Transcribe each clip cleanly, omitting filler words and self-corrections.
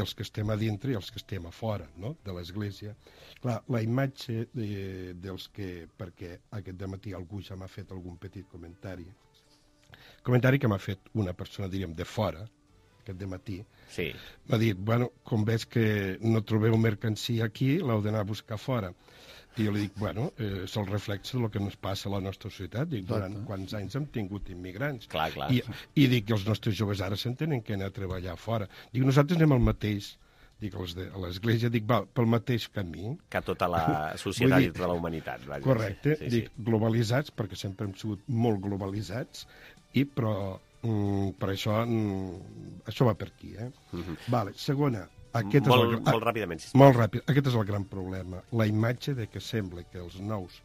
els que estem a dintre i els que estem a fora, no?, de l'Església. Clar, la imatge dels que... Perquè aquest dematí algú ja m'ha fet algun petit comentari que m'ha fet una persona, diríem, de fora, aquest dematí. Sí. M'ha dit, bueno, com veig que no trobeu mercancia aquí, l'heu d'anar a buscar fora. I jo li dic, bueno, és el reflex del que ens passa a la nostra societat. Dic, durant quants anys hem tingut immigrants. Clar. I dic que els nostres joves ara s'entenen que anar a treballar fora. Dic, nosaltres anem al mateix. Dic, a l'Església, dic, va, pel mateix camí. Que tota la societat i tota la humanitat. Vaja. Correcte. Sí. Dic, globalitzats, perquè sempre hem sigut molt globalitzats, però per això va per aquí, eh? Vale, segona. Molt ràpidament, sisplau. Molt ràpid. Aquest és el gran problema. La imatge de que sembla que els nous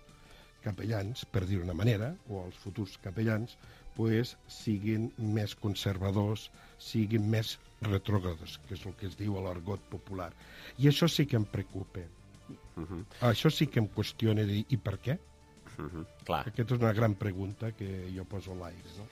capellans, per dir una manera, o els futurs capellans, pues, siguin més conservadors, siguin més retrògrades, que és el que es diu a l'argot popular. I això sí que em preocupa. Això sí que em qüestiona de dir, i per què? Clar. Aquesta és una gran pregunta que jo poso a l'aire, no?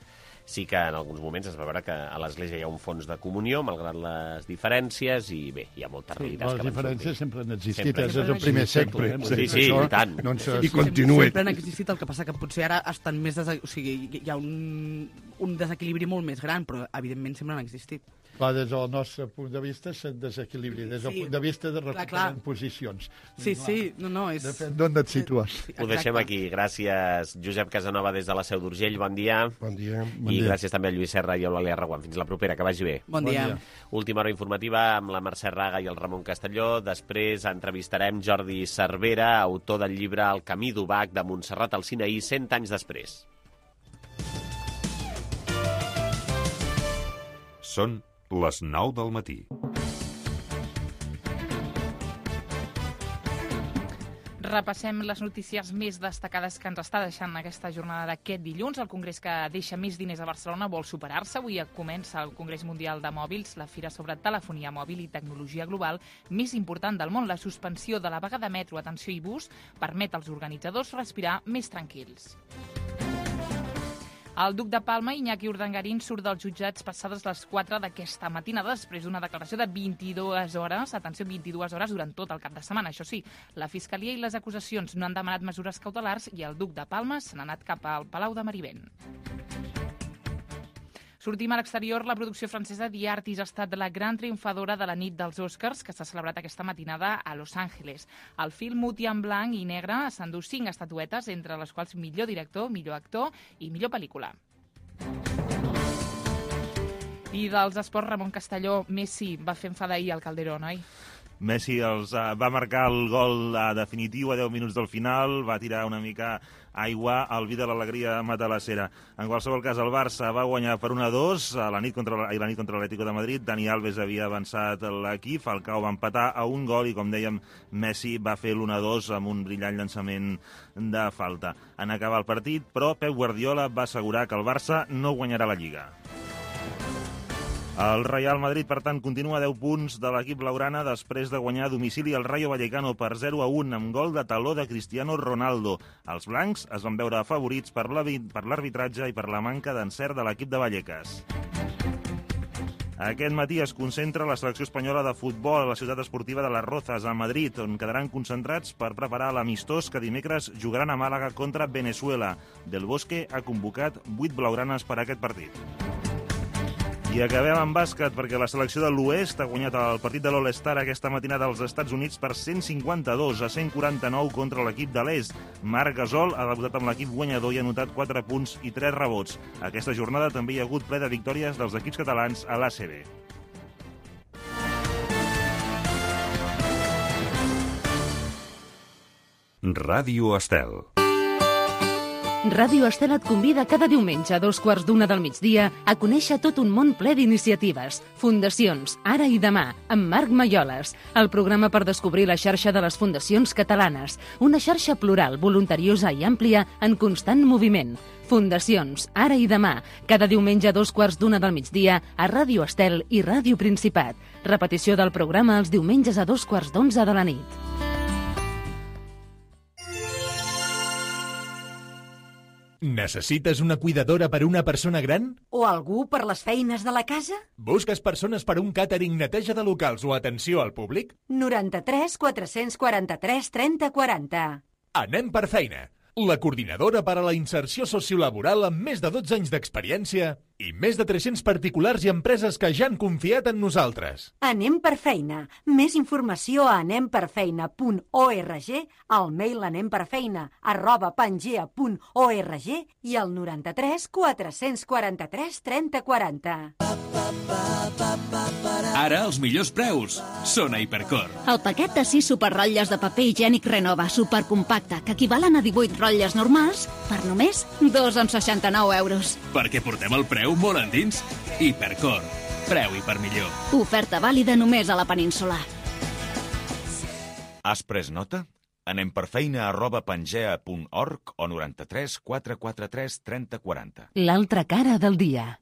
Sí que en alguns moments es va veure que a l'Església hi ha un fons de comunió, malgrat les diferències, i bé, hi ha moltes realitats que van sortir. Les diferències sempre han existit, és el primer segle. Sí, i tant. I continua. Sempre han existit, el que passa que potser ara estan més... O sigui, hi ha un desequilibri molt més gran, però evidentment sempre han existit. Clar, des del nostre punt de vista se'n desequilibri, des del punt de vista de recuperar posicions. Sí, no, és... Depèn d'on et situes. Ho deixem aquí. Gràcies, Josep Casanova, des de la Seu d'Urgell. Bon dia. Bon dia. I gràcies també a Lluís Serra i a l'Eulàlia Reguant. Fins la propera, que vagi bé. Bon dia. Última hora informativa amb la Mercè Raga i el Ramon Castelló. Després entrevistarem Jordi Cervera, autor del llibre El camí d'Ubac de Montserrat al Sinaí, 100 anys després. Són les 9 del matí. Repassem les notícies més destacades que ens està deixant aquesta jornada d'aquest dilluns. El congrés que deixa més diners a Barcelona vol superar-se. Avui comença el Congrés Mundial de Mòbils, la fira sobre telefonia mòbil i tecnologia global més important del món. La suspensió de la vaga de metro, atenció i bus permet als organitzadors respirar més tranquils. El duc de Palma, Iñaki Urdangarín, surt dels jutjats passades les 4 d'aquesta matinada després d'una declaració de 22 hores, atenció, 22 hores durant tot el cap de setmana. Això sí, la Fiscalia i les acusacions no han demanat mesures cautelars i el duc de Palma se n'ha anat cap al Palau de Marivent. Sortim a l'exterior. La producció francesa The Artist ha estat la gran triomfadora de la nit dels Oscars, que s'ha celebrat aquesta matinada a Los Angeles. El film muti en blanc i negre s'endú 5 estatuetes, entre les quals millor director, millor actor i millor pel·lícula. I dels esports, Ramon Castelló, Messi va fer enfadar ahir al Calderón, oi? Messi va marcar el gol definitiu a 10 minuts del final, va tirar una mica aigua al vi de l'alegria matalassera. En qualsevol cas, el Barça va guanyar per 1-2 la nit contra l'Atlético de Madrid. Dani Alves havia avançat l'equip, Falcao va empatar a un gol i, com dèiem, Messi va fer l'1-2 amb un brillant llançament de falta. En acabar el partit, però, Pep Guardiola va assegurar que el Barça no guanyarà la Lliga. El Real Madrid, per tant, continua a 10 punts de l'equip blaugrana després de guanyar a domicili el Rayo Vallecano per 0-1 amb gol de taló de Cristiano Ronaldo. Els blancs es van veure afavorits per l'arbitratge i per la manca d'encert de l'equip de Vallecas. Aquest matí es concentra la selecció espanyola de futbol a la ciutat esportiva de Las Rozas, a Madrid, on quedaran concentrats per preparar l'amistós que dimecres jugaran a Màlaga contra Venezuela. Del Bosque ha convocat 8 blaugranes per a aquest partit. I acabem amb bàsquet, perquè la selecció de l'Oest ha guanyat el partit de l'All-Star aquesta matinada als Estats Units per 152-149 contra l'equip de l'Est. Marc Gasol ha debutat amb l'equip guanyador i ha anotat 4 punts i 3 rebots. Aquesta jornada també hi ha hagut ple de victòries dels equips catalans a l'ACB. Ràdio Estel. Ràdio Estel et convida cada diumenge a 2:15 del migdia a conèixer tot un món ple d'iniciatives, fundacions, ara i demà, amb Marc Maioles, el programa per descobrir la xarxa de les fundacions catalanes, una xarxa plural, voluntariosa i àmplia en constant moviment. Fundacions, ara i demà, cada diumenge a 2:15 del migdia a Ràdio Estel i Ràdio Principat. Repetició del programa els diumenges a 2:15 de la nit. Necessites una cuidadora per a una persona gran? O algú per les feines de la casa? Busques persones per un càtering, neteja de locals o atenció al públic? 93 443 30 40. Anem per feina. La coordinadora per a la inserció sociolaboral amb més de 12 anys d'experiència i més de 300 particulars i empreses que ja han confiat en nosaltres. Anem per feina. Més informació a anemperfeina.org, al mail anemperfeina@pangea.org i al 93 443 30 40. Ara els millors preus són a Hipercor. El paquet de 6 superrotlles de paper higiènic Renova supercompacte, que equivalen a 18 rotlles normals, per només 2,69 €. Perquè portem el preu molt endins. Hipercor. Preu i per millor. Oferta vàlida només a la península. Has pres nota? Anem per feina@pangea.org o 93 443 30 40. L'altra cara del dia.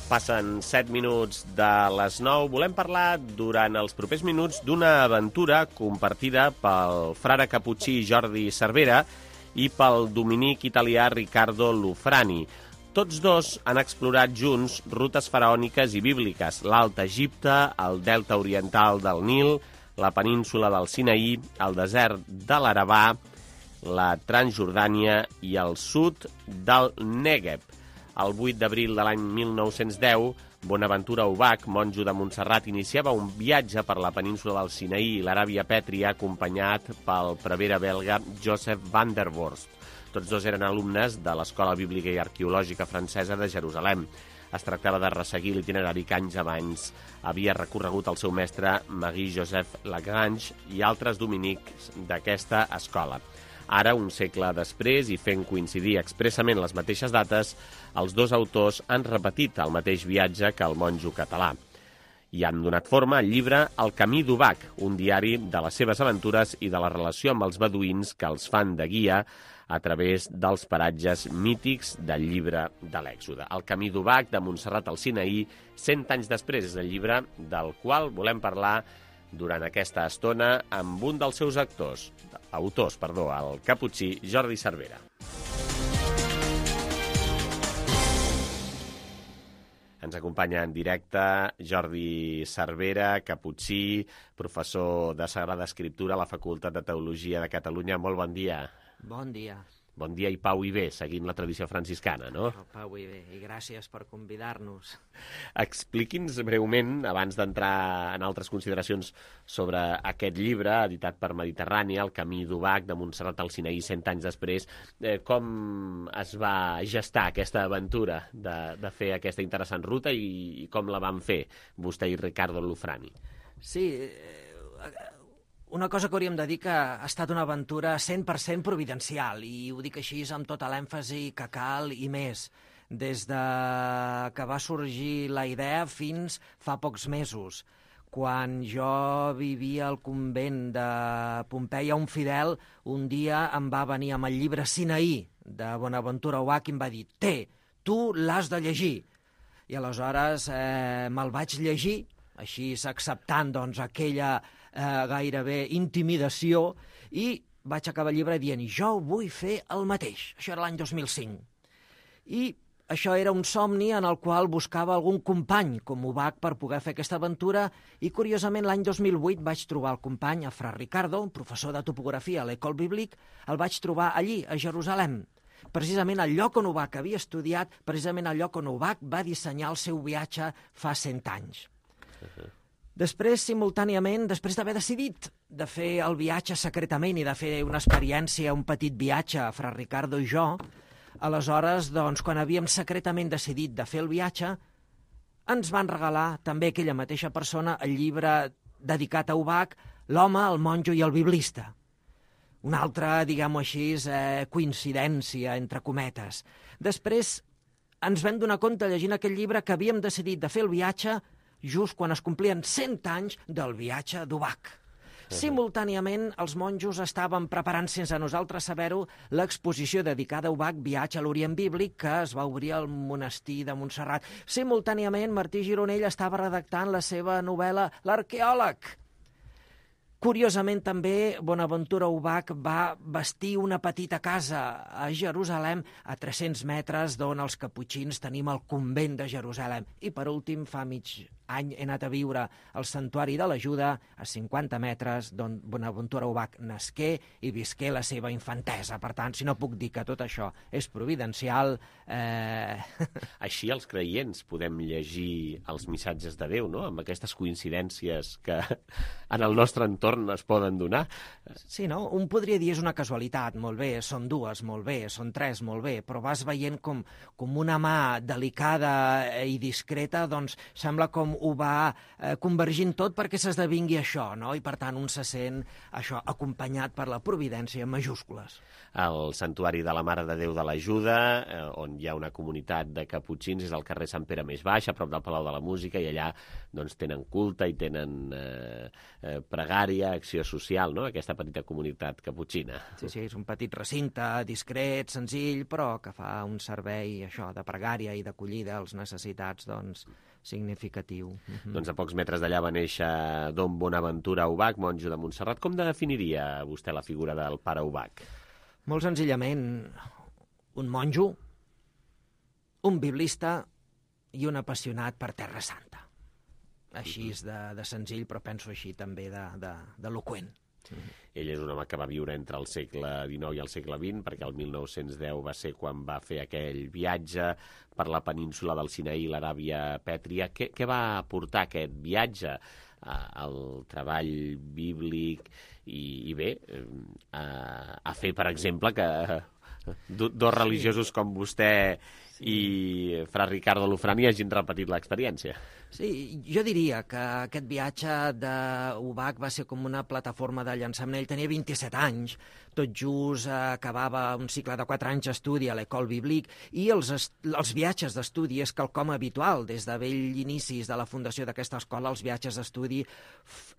Passen 7 minuts de les 9. Volem parlar durant els propers minuts d'una aventura compartida pel frare caputxí Jordi Cervera i pel dominic italià Riccardo Lufrani. Tots dos han explorat junts rutes faraòniques i bíbliques, l'Alt Egipte, el delta oriental del Nil, la península del Sinaí, el desert de l'Arabà, la Transjordània i el sud del Negev. El 8 d'abril de l'any 1910, Bonaventura Ubach, monjo de Montserrat, iniciava un viatge per la península del Sinaí i l'Aràbia Pètria acompanyat pel prevere belga Joseph van der Vorst. Tots dos eren alumnes de l'Escola Bíblica i Arqueològica Francesa de Jerusalem. Es tractava de resseguir l'itinerari que anys abans havia recorregut el seu mestre Marie-Joseph Lagrange i altres dominics d'aquesta escola. Ara, un segle després, i fent coincidir expressament les mateixes dates, els dos autors han repetit el mateix viatge que el monjo català. I han donat forma al llibre El camí d'Ubach, un diari de les seves aventures i de la relació amb els beduïns que els fan de guia a través dels paratges mítics del llibre de l'Èxode. El camí d'Ubach, de Montserrat al Sinaí, 100 anys després, és el llibre del qual volem parlar durant aquesta estona amb un dels seus autors, el caputxí Jordi Cervera. Ens acompanya en directe Jordi Cervera, caputxí, professor de Sagrada Escriptura a la Facultat de Teologia de Catalunya. Molt bon dia. Bon dia. Bon dia i pau i bé, seguint la tradició franciscana, no? Pau i bé, i gràcies per convidar-nos. Expliqui'ns breument, abans d'entrar en altres consideracions sobre aquest llibre, editat per Mediterrània, El camí d'Ubach, de Montserrat al Sinaí, 100 anys després, com es va gestar aquesta aventura de fer aquesta interessant ruta i com la van fer vostè i Riccardo Lufrani? Sí, una cosa que hauríem de dir que ha estat una aventura 100% providencial, i ho dic així amb tota l'èmfasi que cal i més. Des de que va sorgir la idea fins fa pocs mesos. Quan jo vivia al convent de Pompeia, un fidel un dia em va venir amb el llibre Sinaí de Bonaventura Ubach i em va dir: tu l'has de llegir. I aleshores me'l vaig llegir, així acceptant doncs, aquella gairebé intimidació, i vaig acabar el llibre dient: jo vull fer el mateix. Això era l'any 2005. I això era un somni en el qual buscava algun company com Ubach per poder fer aquesta aventura, i curiosament l'any 2008 vaig trobar el company, a Fra Riccardo, un professor de topografia a l'École Biblique, el vaig trobar allí, a Jerusalem. precisament el lloc on Ubach havia estudiat, precisament el lloc on Ubach va dissenyar el seu viatge fa 100 anys. Després, simultàniament, després d'haver decidit de fer el viatge secretament i de fer una experiència, un petit viatge, Fra Ricardo i jo, aleshores, doncs, quan havíem secretament decidit de fer el viatge, ens van regalar també aquella mateixa persona el llibre dedicat a Ubach, L'home, el monjo i el biblista. Una altra, diguem-ho així, coincidència, entre cometes. Després ens vam donar compte, llegint aquell llibre, que havíem decidit de fer el viatge just quan es complien 100 anys del viatge d'Ubach. Simultàniament, els monjos estaven preparant, sense nosaltres saber-ho, l'exposició dedicada a Ubach, Viatge a l'Orient Bíblic, que es va obrir al monestir de Montserrat. Simultàniament, Martí Gironell estava redactant la seva novel·la L'arqueòleg. Curiosament, també, Bonaventura Ubach va bastir una petita casa a Jerusalem, a 300 metres d'on els caputxins tenim el convent de Jerusalem. I, per últim, fa mig any he anat a viure al Santuari de l'Ajuda, a 50 metres d'on Bonaventura Ubach nasqué i visqué la seva infantesa. Per tant, si no puc dir que tot això és providencial... Així els creients podem llegir els missatges de Déu, no?, amb aquestes coincidències que en el nostre entorn es poden donar. Sí, no? Un podria dir és una casualitat, molt bé, són dues, molt bé, són tres, molt bé, però vas veient com una mà delicada i discreta, doncs sembla com ho va convergint tot perquè s'esdevingui això, no? I per tant un se sent això acompanyat per la providència en majúscules. El Santuari de la Mare de Déu de l'Ajuda, on hi ha una comunitat de caputxins, és al carrer Sant Pere més baix, a prop del Palau de la Música, i allà doncs, tenen culte i tenen pregària, acció social, no?, aquesta petita comunitat caputxina. Sí, sí, és un petit recinte, discret, senzill, però que fa un servei això de pregària i d'acollida als necessitats, doncs, significatiu. Doncs a pocs metres d'allà va néixer Don Bonaventura Ubach, monjo de Montserrat. Com definiria vostè la figura del pare Ubach? Molt senzillament, un monjo, un biblista i un apassionat per Terra Santa. Així és de senzill, però penso així també d'eloqüent. Ell és un home que va viure entre el segle XIX i el segle XX, perquè el 1910 va ser quan va fer aquell viatge per la península del Sinaí i l'Aràbia Pètria. Què va portar aquest viatge? El treball bíblic i bé, a fer, per exemple, que dos religiosos com vostè i Fra Ricardo Lufrani hagin repetit l'experiència. Sí, jo diria que aquest viatge d'Ubach va ser com una plataforma de llançament. Ell tenia 27 anys, tot just acabava un cicle de 4 anys d'estudi a l'École Biblique, i els viatges d'estudi és quelcom habitual. Des de vell inicis de la fundació d'aquesta escola, els viatges d'estudi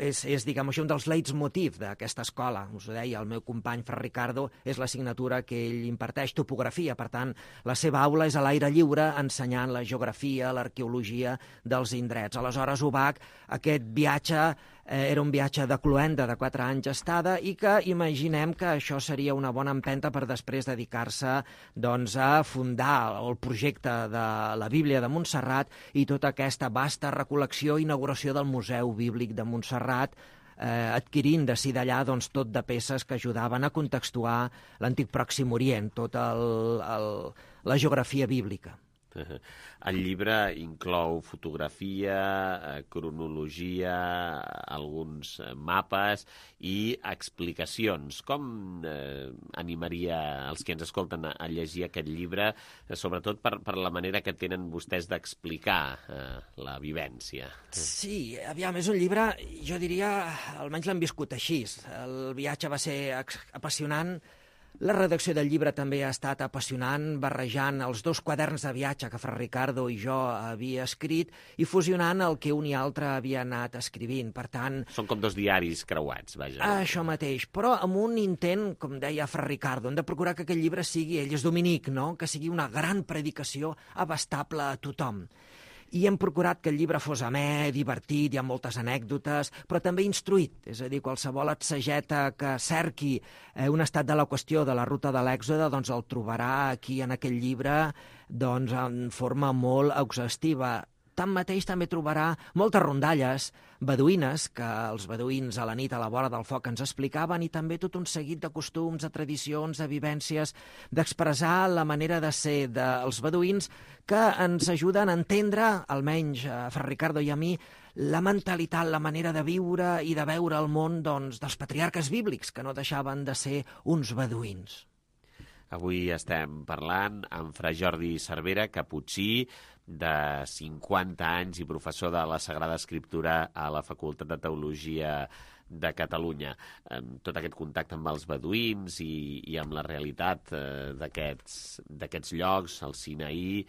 és diguem així, un dels leitmotiv d'aquesta escola. Us ho deia, el meu company Fra Ricardo és l'assignatura que ell imparteix, topografia. Per tant, la seva aula és a l'aire lliure, ensenyant la geografia, l'arqueologia dels indrets. Aleshores, Ubach, aquest viatge era un viatge de cloenda de 4 anys estada i que imaginem que això seria una bona empenta per després dedicar-se doncs, a fundar el projecte de la Bíblia de Montserrat i tota aquesta vasta recol·lecció i inauguració del Museu Bíblic de Montserrat, adquirint d'ací d'allà doncs, tot de peces que ajudaven a contextuar l'antic Pròxim Orient, tota la geografia bíblica. El llibre inclou fotografia, cronologia, alguns mapes i explicacions. Com animaria els que ens escolten a llegir aquest llibre, sobretot per la manera que tenen vostès d'explicar la vivència? Sí, aviam, és un llibre, jo diria, almenys l'hem viscut així. El viatge va ser apassionant. La redacció del llibre també ha estat apassionant, barrejant els 2 quaderns de viatge que Fra Ricardo i jo havia escrit i fusionant el que un i altre havia anat escrivint. Per tant... Són com 2 diaris creuats, vaja. Això mateix, però amb un intent, com deia Fra Ricardo, hem de procurar que aquest llibre sigui, ell és dominic, no?, que sigui una gran predicació abastable a tothom. I hem procurat que el llibre fos amè, divertit, hi ha moltes anècdotes, però també instruït, és a dir, qualsevol exegeta que cerqui un estat de la qüestió de la ruta de l'Èxode, doncs el trobarà aquí en aquest llibre doncs, en forma molt exhaustiva. Tanmateix també trobarà moltes rondalles beduïnes, que els beduïns a la nit a la vora del foc ens explicaven, i també tot un seguit de costums, de tradicions, de vivències, d'expressar la manera de ser dels beduïns, que ens ajuden a entendre, almenys a Fra Ricardo i a mi, la mentalitat, la manera de viure i de veure el món dels patriarques bíblics, que no deixaven de ser uns beduïns. Avui estem parlant amb Fra Jordi Cervera, caputxí, de 50 anys i professor de la Sagrada Escriptura a la Facultat de Teologia de Catalunya. Tot aquest contacte amb els beduïns i amb la realitat d'aquests llocs, el Sinaí,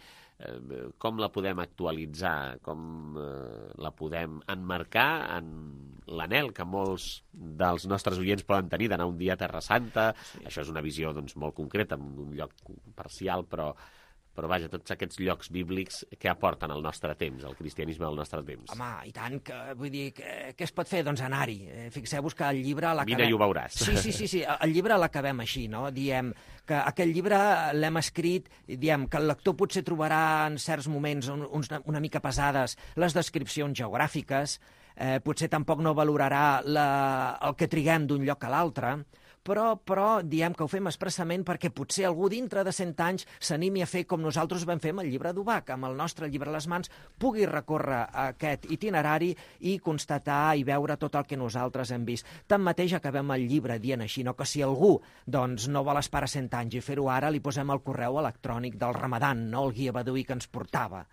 com la podem actualitzar, com la podem emmarcar en l'anhel que molts dels nostres oients poden tenir d'anar un dia a Terra Santa. Sí. Això és una visió molt concreta, en un lloc parcial, però vaja, tots aquests llocs bíblics que aporten al nostre temps, el cristianisme del nostre temps. Home, i tant, vull dir, què es pot fer? Doncs anar-hi. Fixeu-vos que el llibre l'acabem... Vine i ho veuràs. Sí, el llibre l'acabem així, no? Diem que aquest llibre l'hem escrit, diem que el lector potser trobarà en certs moments una mica pesades les descripcions geogràfiques, potser tampoc no valorarà el que triguem d'un lloc a l'altre, però diem que ho fem expressament perquè potser algú dintre de 100 anys s'animi a fer com nosaltres vam fer amb el llibre d'Ubach, amb el nostre llibre a les mans, pugui recórrer aquest itinerari i constatar i veure tot el que nosaltres hem vist. Tanmateix acabem el llibre dient així, no? Que si algú no vol esperar 100 anys i fer-ho ara, li posem el correu electrònic del Ramadan, no? El guia beduí que ens portava.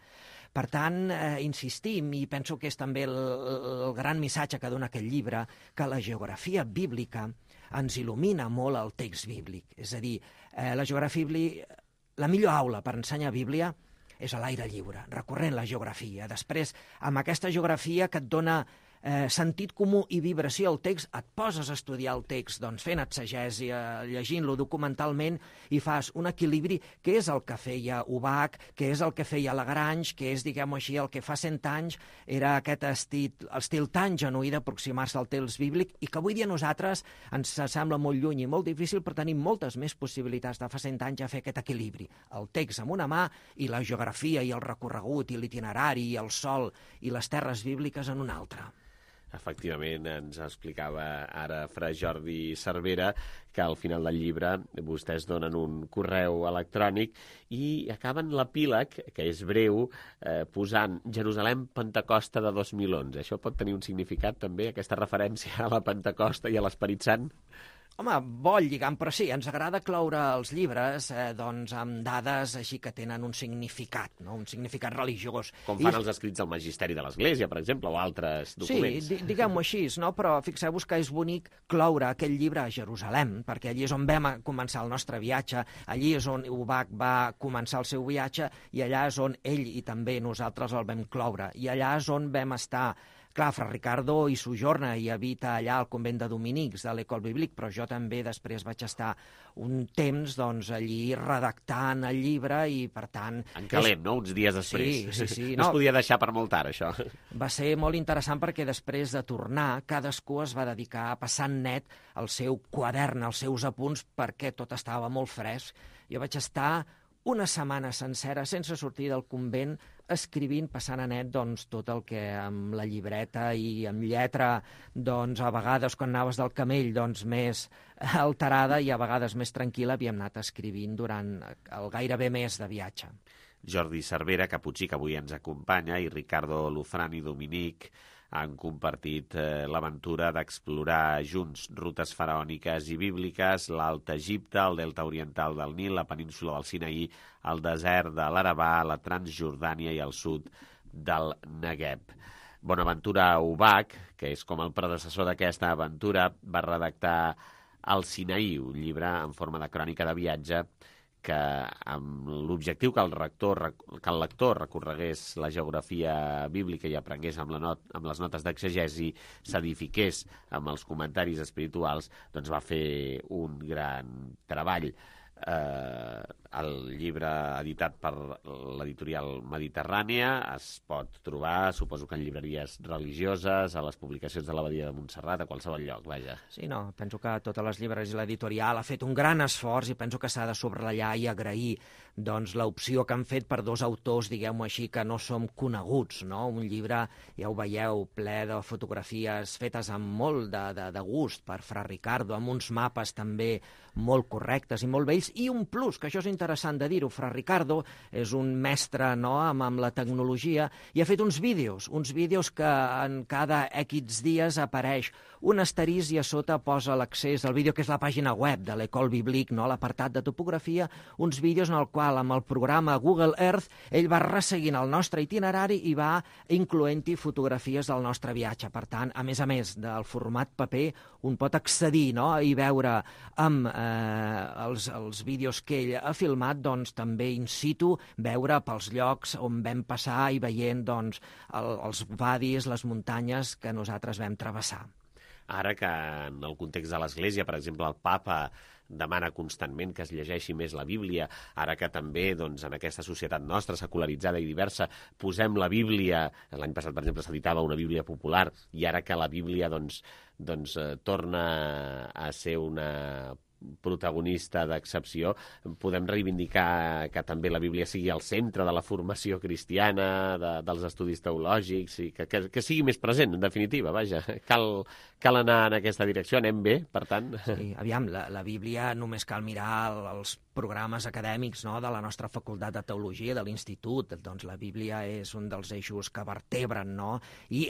Per tant, insistim, i penso que és també el gran missatge que dona aquest llibre, que la geografia bíblica ens il·lumina molt el text bíblic. És a dir, la geografia bíblica, la millor aula per ensenyar Bíblia és a l'aire lliure, recorrent la geografia. Després, amb aquesta geografia que et dona sentit comú i vibració al text, et poses a estudiar el text, doncs fent exegèsia, llegint-lo documentalment, i fas un equilibri que és el que feia Ubach, que és el que feia Lagrange, que és, diguem-ho així, el que fa 100 anys era aquest estil tan genuí d'aproximar-se al text bíblic, i que avui dia a nosaltres ens sembla molt lluny i molt difícil, però tenim moltes més possibilitats de fa 100 anys a fer aquest equilibri. El text amb una mà i la geografia i el recorregut i l'itinerari i el sol i les terres bíbliques en una altra. Efectivament, ens explicava ara Fra Jordi Cervera que al final del llibre vostès donen un correu electrònic i acaben l'epíleg, que és breu, posant Jerusalem Pentecosta de 2011. Això pot tenir un significat també, aquesta referència a la Pentecosta i a l'Esperit Sant? Home, vol lligam, però sí, ens agrada cloure els llibres amb dades així que tenen un significat, no? Un significat religiós. Com fan els escrits del Magisteri de l'Església, per exemple, o altres documents. Sí, diguem-ho així, no? Però fixeu-vos que és bonic cloure aquell llibre a Jerusalem, perquè allí és on vam començar el nostre viatge, allí és on Ubach va començar el seu viatge, i allà és on ell i també nosaltres el vam cloure, i allà és on vam estar. Clar, Fra Ricardo hi sojorna i habita allà al convent de Dominics de l'École Biblique, però jo també després vaig estar un temps allí redactant el llibre i, per tant... En calent, no?, uns dies després. Sí. No es podia deixar per molt tard, això. Va ser molt interessant perquè després de tornar, cadascú es va dedicar a passar net el seu quadern, els seus apunts, perquè tot estava molt fresc. Jo vaig estar una setmana sencera sense sortir del convent escrivint, passant a net tot el que amb la llibreta i amb lletra, a vegades quan anaves del camell més alterada i a vegades més tranquil·la, havíem anat escrivint durant el gairebé mes de viatge. Jordi Cervera, caputxí, que avui ens acompanya, i Ricardo Lufran i Dominic han compartit l'aventura d'explorar junts rutes faraòniques i bíbliques, l'Alt Egipte, el delta oriental del Nil, la península del Sinaí, el desert de l'Arabà, la Transjordània i el sud del Negueb. Bonaventura Ubach, que és com el predecessor d'aquesta aventura, va redactar El Sinaí, un llibre en forma de crònica de viatge que amb l'objectiu que el lector recorregués la geografia bíblica i aprengués amb les notes d'exegesi, s'edifiqués amb els comentaris espirituals, doncs va fer un gran treball. El llibre editat per l'editorial Mediterrània es pot trobar, suposo que en llibreries religioses, a les publicacions de l'Abadia de Montserrat, a qualsevol lloc, vaja. Sí, no, penso que totes les llibreries i l'editorial ha fet un gran esforç i penso que s'ha de subratllar i agrair doncs, l'opció que han fet per dos autors, diguem-ho així, que no som coneguts, no? Un llibre, ja ho veieu, ple de fotografies fetes amb molt de gust per Fra Ricardo, amb uns mapes també molt correctes i molt bells, i un plus, que això és interessant de dir-ho, Fra Ricardo és un mestre, no?, amb la tecnologia, i ha fet uns vídeos que en cada X dies apareix un asterisc i a sota posa l'accés al vídeo, que és la pàgina web de l'École Biblique, no?, l'apartat de topografia, uns vídeos en el qual, amb el programa Google Earth, ell va resseguint el nostre itinerari i va incloent-hi fotografies del nostre viatge. Per tant, a més del format paper, un pot accedir, no?, i veure amb els vídeos que ell ha filmat, doncs també in situ, veure pels llocs on vam passar i veient doncs, els wadis, les muntanyes que nosaltres vam travessar. Ara que en el context de l'Església, per exemple, el papa demana constantment que es llegeixi més la Bíblia, ara que també doncs, en aquesta societat nostra, secularitzada i diversa, posem la Bíblia, l'any passat, per exemple, s'editava una Bíblia popular, i ara que la Bíblia torna a ser una protagonista d'excepció, podem reivindicar que també la Bíblia sigui al centre de la formació cristiana, dels estudis teològics, i que sigui més present, en definitiva, vaja. Cal anar en aquesta direcció, anem bé, per tant. Sí, aviam, la Bíblia només cal mirar els programes acadèmics, no?, de la nostra facultat de teologia, de l'institut. Doncs la Bíblia és un dels eixos que vertebren, no?, i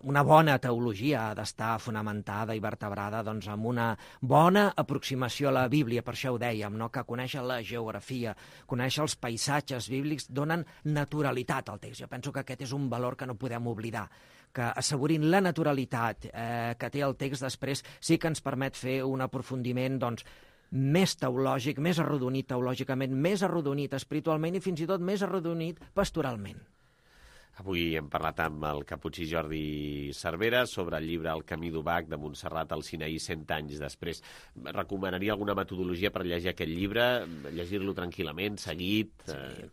una bona teologia ha d'estar fonamentada i vertebrada doncs, amb una bona aproximació a la Bíblia. Per això ho dèiem, no?, que conèixer la geografia, conèixer els paisatges bíblics donen naturalitat al text. Jo penso que aquest és un valor que no podem oblidar, que assegurin la naturalitat que té el text després sí que ens permet fer un aprofundiment doncs, més teològic, més arrodonit teològicament, més arrodonit espiritualment i fins i tot més arrodonit pastoralment. Avui hem parlat amb el caputxí Jordi Cervera sobre el llibre El camí d'Ubach de Montserrat al Sinaí 100 anys després. Recomanaria alguna metodologia per llegir aquest llibre? Llegir-lo tranquil·lament, seguit,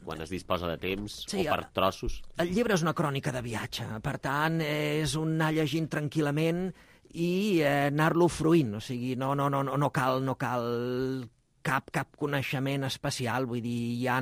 quan es disposa de temps, o per trossos? El llibre és una crònica de viatge, per tant, és un anar llegint tranquil·lament i anar-lo fruint, o sigui, no cal cap coneixement especial, vull dir, hi ha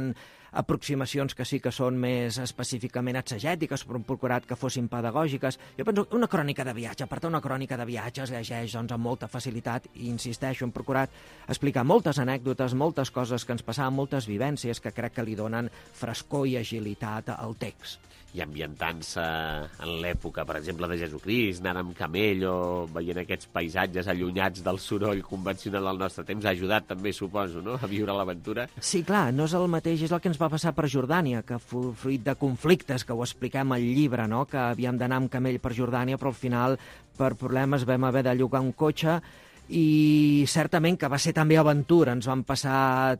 aproximacions que sí que són més específicament exegètiques, però hem procurat que fossin pedagògiques. Jo penso que una crònica de viatge, per tant, una crònica de viatge es llegeix doncs, amb molta facilitat i, insisteixo, hem procurat explicar moltes anècdotes, moltes coses que ens passaven, moltes vivències que crec que li donen frescor i agilitat al text. I ambientant-se en l'època, per exemple, de Jesucrist, anant amb camell o veient aquests paisatges allunyats del soroll convencional del nostre temps, ha ajudat també, suposo, no?, a viure l'aventura. Sí, clar, no és el mateix, és el que ens va passar per Jordània, que fruit de conflictes, que ho expliquem al llibre, no?, que havíem d'anar amb camell per Jordània, però al final, per problemes, vam haver de llogar un cotxe, i certament que va ser també aventura, ens van passar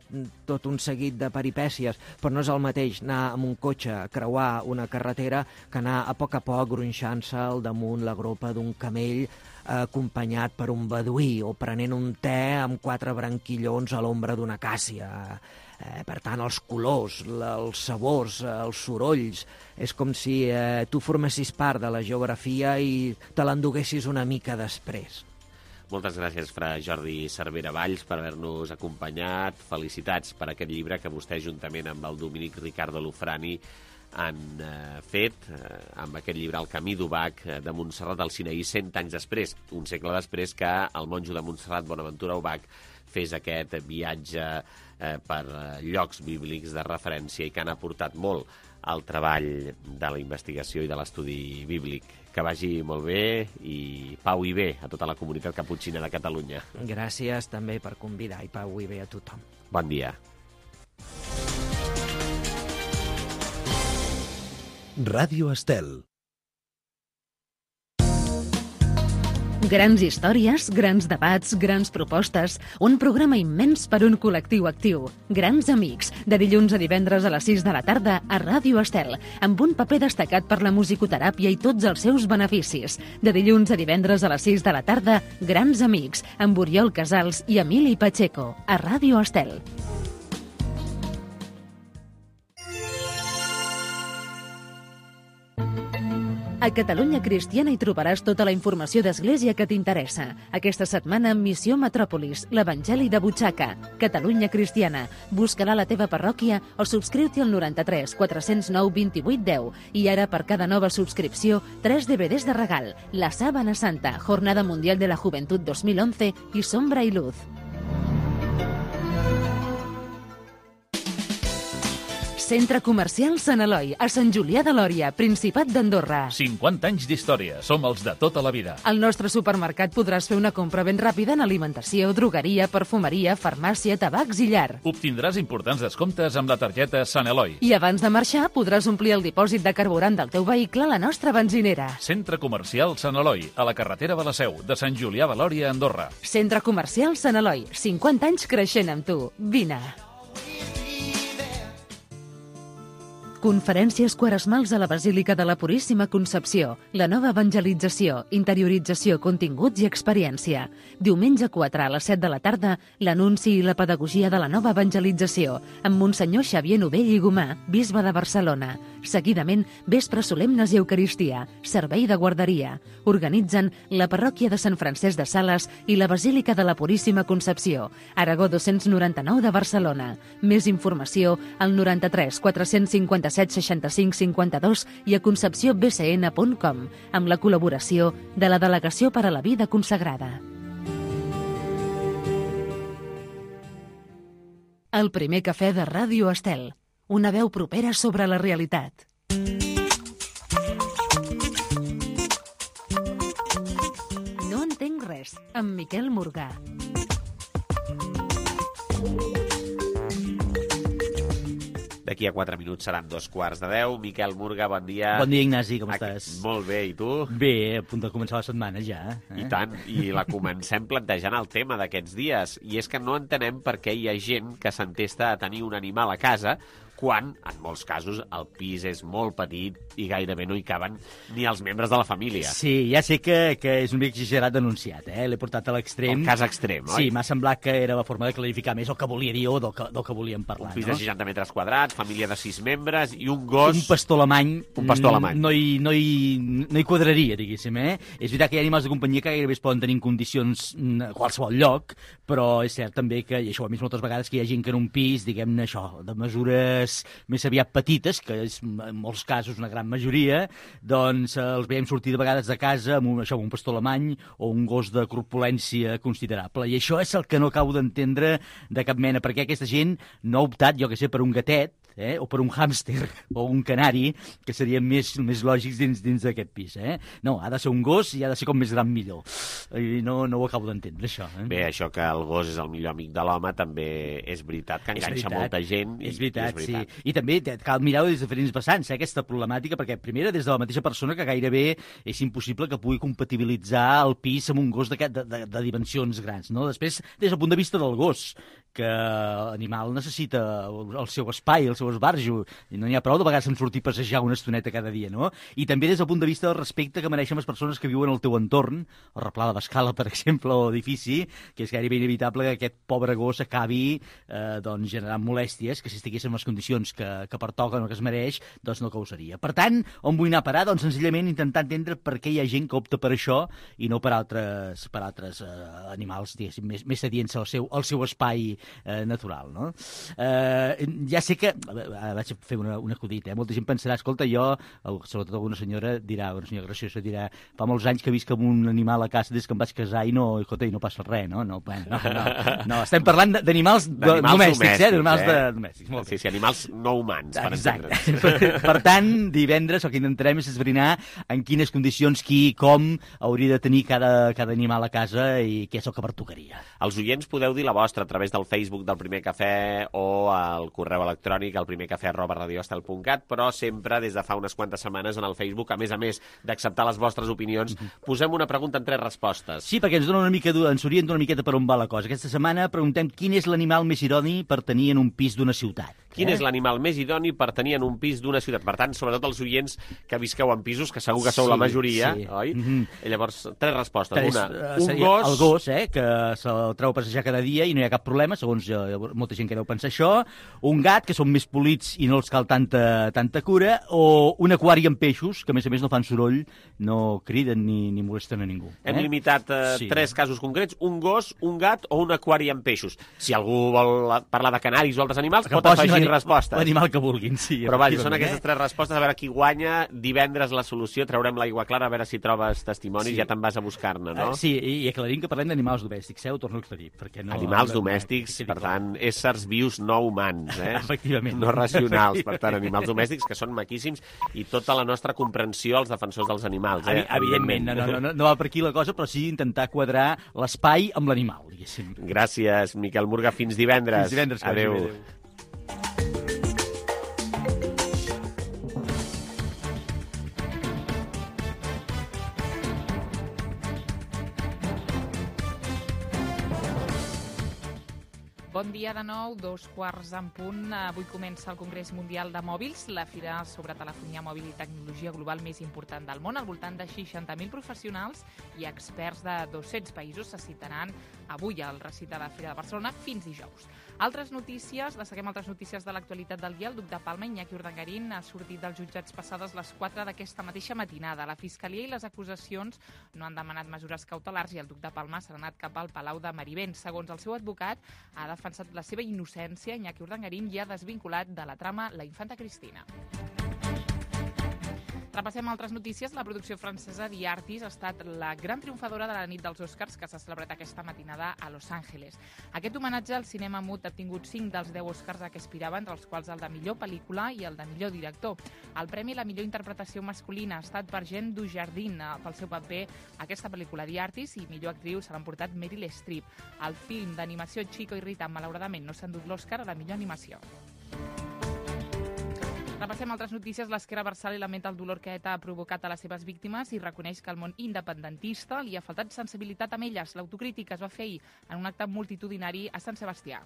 tot un seguit de peripècies, però no és el mateix anar amb un cotxe a creuar una carretera que anar a poc gronxant-se al damunt la gropa d'un camell acompanyat per un beduí o prenent un te amb 4 branquillons a l'ombra d'una acàcia. Per tant, els colors, els sabors, els sorolls, és com si tu formessis part de la geografia i te l'enduguessis una mica després. Moltes gràcies, fra Jordi Cervera Valls, per haver-nos acompanyat. Felicitats per aquest llibre que vostè, juntament amb el Dominic Ricardo Lufrani, han fet amb aquest llibre El camí d'Ubach de Montserrat al Sinaí 100 anys després, un segle després que el monjo de Montserrat, Bonaventura Ubach, fes aquest viatge per llocs bíblics de referència i que han aportat molt al treball de la investigació i de l'estudi bíblic. Que vagi molt bé i pau i bé a tota la comunitat caputxina de Catalunya. Gràcies també per convidar i pau i bé a tothom. Bon dia. Ràdio Estel. Grans històries, grans debats, grans propostes, un programa immens per un col·lectiu actiu. Grans amics, de dilluns a divendres a les 6 de la tarda a Ràdio Estel, amb un paper destacat per la musicoteràpia i tots els seus beneficis. De dilluns a divendres a les 6 de la tarda, Grans amics, amb Oriol Casals i Emili Pacheco, a Ràdio Estel. A Catalunya Cristiana hi trobaràs tota la informació d'Església que t'interessa. Aquesta setmana, Missió Metròpolis, l'Evangeli de butxaca. Catalunya Cristiana. Busca-la a la teva parròquia o subscriu-t'hi al 93 409 28 10. I ara, per cada nova subscripció, 3 DVDs de regal. La Sábana Santa, Jornada Mundial de la Juventud 2011 i Sombra i Luz. Centre Comercial Sant Eloi, a Sant Julià de Lòria, Principat d'Andorra. 50 anys d'història. Som els de tota la vida. Al nostre supermercat podràs fer una compra ben ràpida en alimentació, drogueria, perfumeria, farmàcia, tabacs i llar. Obtindràs importants descomptes amb la targeta Sant Eloi. I abans de marxar podràs omplir el dipòsit de carburant del teu vehicle a la nostra benzinera. Centre Comercial Sant Eloi, a la carretera de la Seu, de Sant Julià de Lòria, Andorra. Centre Comercial Sant Eloi, 50 anys creixent amb tu. Vine. Conferències quaresmals a la Basílica de la Puríssima Concepció. La nova evangelització, interiorització, continguts i experiència. Diumenge 4 a les 7 de la tarda, l'anunci i la pedagogia de la nova evangelització, amb Monsenyor Xavier Novell i Gomà, bisbe de Barcelona. Seguidament, vespres solemnes i Eucaristia, servei de guarderia. Organitzen la parròquia de Sant Francesc de Sales i la Basílica de la Puríssima Concepció. Aragó 299 de Barcelona. Més informació al 93 457 65 52 i a concepciobcn.com, amb la col·laboració de la Delegació per a la Vida Consagrada. El primer cafè de Ràdio Estel. Una veu propera sobre la realitat. No entenc res, amb Miquel Morgà. D'aquí a 4 minuts seran 2:15. Miquel Morgà, bon dia. Bon dia, Ignasi, com estàs? Molt bé, i tu? Bé, a punt de començar la setmana ja. I tant, i la comencem plantejant el tema d'aquests dies. I és que no entenem per què hi ha gent que s'entesta a tenir un animal a casa quan, en molts casos, el pis és molt petit i gairebé no hi caben ni els membres de la família. Sí, ja sé que és un mica exagerat denunciat, L'he portat a l'extrem. El cas extrem, oi? Sí, m'ha semblat que era la forma de clarificar més el que volia dir o del que volíem parlar. Un pis de 60 metres quadrats, família de 6 membres i un gos... Un pastor alemany. Un pastor alemany. No hi quadraria, diguéssim, És veritat que hi ha animals de companyia que gairebé es poden tenir en condicions a qualsevol lloc, però és cert també que, i això ho hem vist moltes vegades, que hi ha gent que en un pis, diguem-ne això, de mesures més aviat petites, que és en molts casos una gran majoria, doncs els veiem sortir de vegades de casa amb un pastor alemany o un gos de corpulència considerable. I això és el que no acabo d'entendre de cap mena, perquè aquesta gent no ha optat, jo que sé, per un gatet, o per un hàmster o un canari, que serien més lògics dins d'aquest pis. No, ha de ser un gos i ha de ser com més gran millor. I no ho acabo d'entendre, això. Bé, això que el gos és el millor amic de l'home també és veritat, que enganxa molta gent. És veritat, sí. I també cal mirar-ho des de diferents vessants, aquesta problemàtica, perquè primera des de la mateixa persona que gairebé és impossible que pugui compatibilitzar el pis amb un gos de dimensions grans. Després, des del punt de vista del gos, que l'animal necessita el seu espai, el seu esbarjo, i no n'hi ha prou de vegades en sortir a passejar una estoneta cada dia, no? I també des del punt de vista del respecte que mereixen les persones que viuen al teu entorn, el replà de l'escala, per exemple, o edifici, que és gairebé inevitable que aquest pobre gos acabi generant molèsties, que si estigués en les condicions que pertoquen o que es mereix, doncs no causaria. Per tant, on vull anar a parar? Doncs senzillament intentar entendre per què hi ha gent que opta per això i no per altres animals, diguéssim, més sedients al seu espai natural, no? Ja sé que... Vaig fer un acudit, Molta gent pensarà, escolta, jo, sobretot alguna senyora graciosa dirà, fa molts anys que visc amb un animal a casa des que em vaig casar i no passa res, no? No, estem parlant d'animals domèstics, d'animals domèstics. Sí, animals no humans, per entendre'ns. Per tant, divendres el que intentarem és esbrinar en quines condicions, qui i com hauria de tenir cada animal a casa i què és el que pertocaria. Els oients podeu dir la vostra a través del Facebook del Primer Cafè o al correu electrònic al primercafè@radioestel.cat, però sempre des de fa unes quantes setmanes en el Facebook, a més d'acceptar les vostres opinions, posem una pregunta en 3 respostes. Sí, perquè ens orienta una miqueta per on va la cosa. Aquesta setmana preguntem quin és l'animal més idoni per tenir en un pis d'una ciutat. Quin és l'animal més idoni per tenir en un pis d'una ciutat? Per tant, sobretot els oients que visqueu en pisos, que segur que sou la majoria, oi? Llavors, 3 respostes. Un gos... El gos, que se'l treu a passejar cada dia i no hi ha cap problema, segons molta gent que deu pensar això. Un gat, que són més polits i no els cal tanta cura. O un aquari amb peixos, que a més no fan soroll, no criden ni molesten a ningú. Hem limitat 3 casos concrets, un gos, un gat o un aquari amb peixos. Si algú vol parlar de canaris o altres animals, pot afegir respostes. L'animal que vulguin, sí. Però vaja, són aquestes 3 respostes, a veure qui guanya. Divendres la solució, traurem l'aigua clara, a veure si trobes testimonis, ja te'n vas a buscar-ne, no? Sí, i aclarim que parlem d'animals domèstics, ho torno a aclarir. Animals domèstics, per tant, éssers vius no humans, Efectivament. No racionals, per tant, animals domèstics, que són maquíssims, i tota la nostra comprensió als defensors dels animals, Evidentment, no va per aquí la cosa, però sí intentar quadrar l'espai amb l'animal, diguéssim. Gràcies, Miquel Murga. Fins divendres. Fins divendres. Adéu. Bon dia de nou, 2:15 Avui comença el Congrés Mundial de Mòbils, la fira sobre telefonia mòbil i tecnologia global més important del món. Al voltant de 60.000 professionals i experts de 200 països se citaran avui al recinte de la Fira de Barcelona fins dijous. Destaquem altres notícies de l'actualitat del dia. El duc de Palma, Iñaki Urdangarín, ha sortit dels jutjats passades les 4 d'aquesta mateixa matinada. La Fiscalia i les acusacions no han demanat mesures cautelars i el duc de Palma s'ha anat cap al Palau de Marivent. Segons el seu advocat, ha defensat la seva innocència. Iñaki Urdangarín ja ha desvinculat de la trama la infanta Cristina. Repassem altres notícies. La producció francesa The Artist ha estat la gran triomfadora de la nit dels Oscars que s'ha celebrat aquesta matinada a Los Angeles. Aquest homenatge al cinema mut ha tingut 5 dels 10 Oscars a què aspiraven, entre els quals el de millor pel·lícula i el de millor director. El premi a la millor interpretació masculina ha estat per Jeanne Dujardin pel seu paper a aquesta pel·lícula The Artist, i millor actriu se l'ha emportat Meryl Streep. El film d'animació Chico i Rita malauradament no s'ha endut l'Oscar a la millor animació. Repassem altres notícies. L'Esquerra Abertzale lamenta el dolor que ETA ha provocat a les seves víctimes i reconeix que el món independentista li ha faltat sensibilitat amb elles. L'autocrítica es va fer ahir en un acte multitudinari a Sant Sebastià.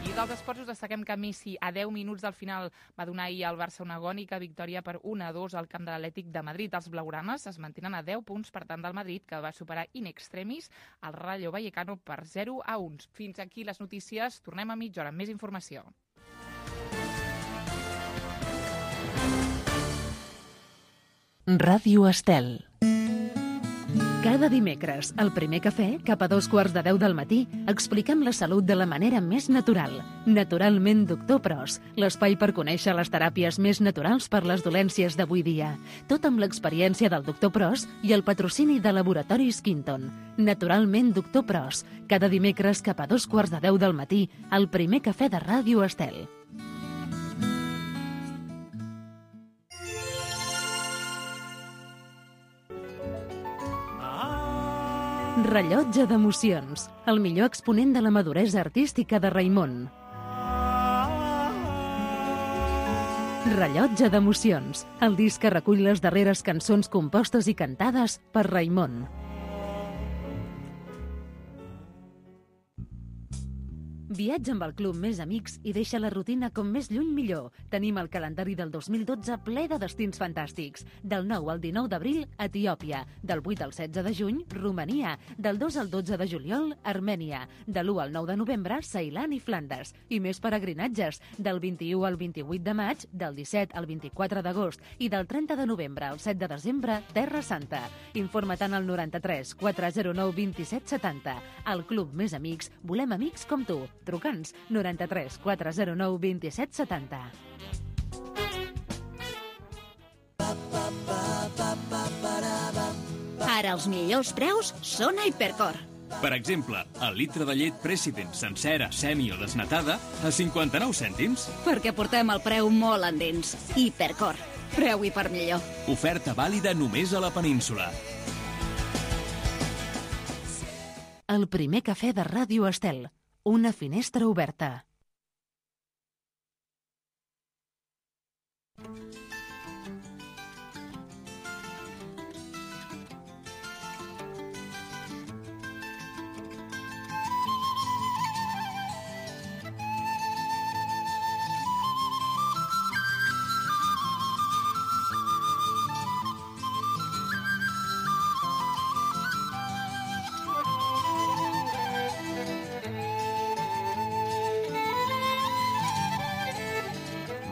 I dels esports us destaquem que Messi, a 10 minuts del final, va donar ahir al Barça una agònica victòria per 1-2 al camp de l'Atlètic de Madrid. Els blaugranes es mantenen a 10 punts per tant del Madrid, que va superar in extremis el Rayo Vallecano per 0-1. Fins aquí les notícies. Tornem a mitja hora amb més informació. Ràdio Estel. Cada dimecres, al primer cafè, cap a 2:15 del matí, expliquem la salut de la manera més natural. Naturalment Doctor Pros, l'espai per conèixer les teràpies més naturals per les dolències d'avui dia. Tot amb l'experiència del Doctor Pros i el patrocini de Laboratoris Quinton. Naturalment Doctor Pros, cada dimecres cap a 2:15 del matí, al primer cafè de Ràdio Estel. Rellotge d'emocions, el millor exponent de la maduresa artística de Raimon. Rellotge d'emocions, el disc que recull les darreres cançons compostes i cantades per Raimon. Viatja amb el Club Més Amics i deixa la rutina com més lluny millor. Tenim el calendari del 2012 ple de destins fantàstics. Del 9 al 19 d'abril, Etiòpia. Del 8 al 16 de juny, Romania. Del 2 al 12 de juliol, Armènia. De l'1 al 9 de novembre, Ceilan i Flandes. I més peregrinatges. Del 21 al 28 de maig, del 17 al 24 d'agost i del 30 de novembre al 7 de desembre, Terra Santa. Informa tant al 93 409 27 70. Al Club Més Amics, volem amics com tu. Truca'ns 93 409 27 70. Ara els millors preus són a Hipercor. Per exemple, el litre de llet President sencera, semi o desnatada a 59 cèntims. Perquè portem el preu molt endins. Hipercor. Preu i per millor. Oferta vàlida només a la península. El primer cafè de Ràdio Estel. Una finestra oberta.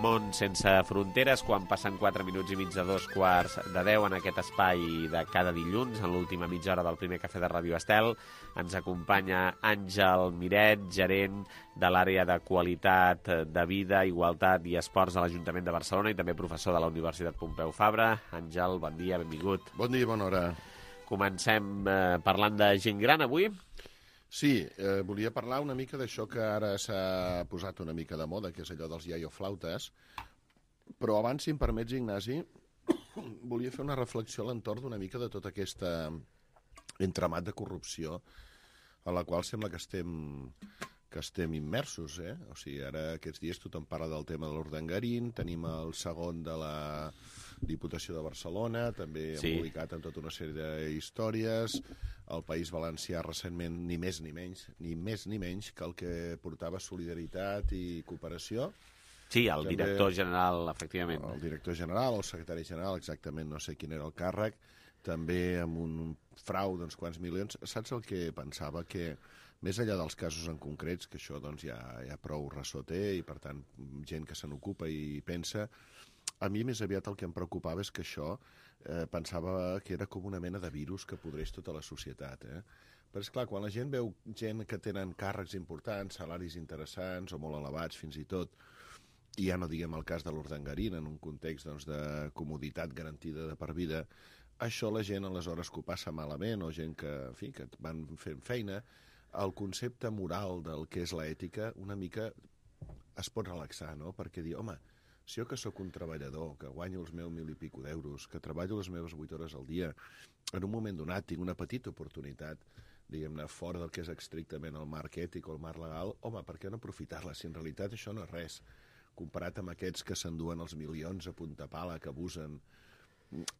Món sense fronteres, quan passen 4 minuts i mig de 2:45 en aquest espai de cada dilluns, en l'última mitja hora del primer cafè de Ràdio Estel. Ens acompanya Àngel Miret, gerent de l'àrea de qualitat de vida, igualtat i esports de l'Ajuntament de Barcelona i també professor de la Universitat Pompeu Fabra. Àngel, bon dia, benvingut. Bon dia, bona hora. Comencem parlant de gent gran avui. Sí, volia parlar una mica d'això que ara s'ha posat una mica de moda, que és allò dels iaioflautes, però abans, si em permets, Ignasi, volia fer una reflexió a l'entorn d'una mica de tot aquest entramat de corrupció a la qual sembla que estem immersos, eh? O sigui, ara aquests dies tothom parla del tema de l'Urdangarín, tenim el segon de la Diputació de Barcelona, també embolicat en tota una sèrie d'històries. El País Valencià recentment ni més ni menys que el que portava solidaritat i cooperació. Sí, el director general, efectivament. El director general, el secretari general, exactament no sé quin era el càrrec, també amb un frau d'uns quants milions. Saps el que pensava? Que més enllà dels casos en concrets, que això doncs, ja prou ressò té i per tant gent que se n'ocupa i pensa, a mi més aviat el que em preocupava és que això pensava que era com una mena de virus que podreix tota la societat. Però és clar, quan la gent veu gent que tenen càrrecs importants, salaris interessants o molt elevats fins i tot, i ja no diguem el cas de l'Urdangarín en un context doncs, de comoditat garantida de per vida, això la gent aleshores que ho passa malament o gent que, en fi, que van fent feina, el concepte moral del que és l'ètica una mica es pot relaxar, no? Perquè dir, home, si jo que sóc un treballador, que guanyo els meus 1.000 i pico d'euros, que treballo les meves 8 hores al dia, en un moment donat tinc una petita oportunitat, diguem-ne, fora del que és estrictament el marc ètic o el marc legal, home, per què no aprofitar-la? Si en realitat això no és res, comparat amb aquests que s'enduen els milions a punta pala, que abusen.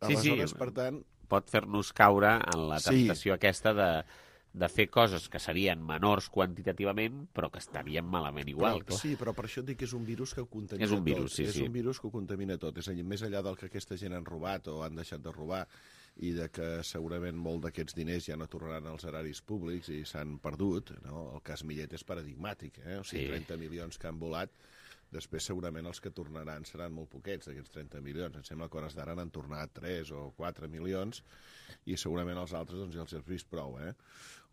Aleshores, per tant... Pot fer-nos caure en la temptació aquesta de fer coses que serien menors quantitativament, però que estarien malament igual. Sí, però per això et dic que és un virus que ho contamina tot. És un virus, sí. És un virus que ho contamina tot. És a dir, més enllà del que aquesta gent han robat o han deixat de robar i de que segurament molt d'aquests diners ja no tornaran als eraris públics i s'han perdut, no? El cas Millet és paradigmàtic, O sigui, 30 milions que han volat, després segurament els que tornaran seran molt poquets d'aquests 30 milions. Em sembla que hores d'ara n'han tornat 3 o 4 milions i segurament els altres doncs, ja els has vist prou,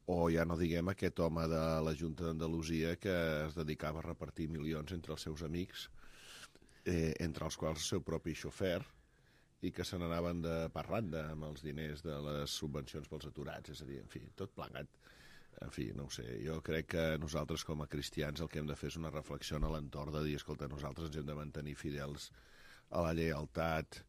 O ja no diguem aquest home de la Junta d'Andalusia que es dedicava a repartir milions entre els seus amics, entre els quals el seu propi xofer, i que se n'anaven de parranda amb els diners de les subvencions pels aturats. És a dir, en fi, tot plegat. En fi, no ho sé, jo crec que nosaltres com a cristians el que hem de fer és una reflexió a l'entorn de dir, escolta, nosaltres ens hem de mantenir fidels a la lleialtat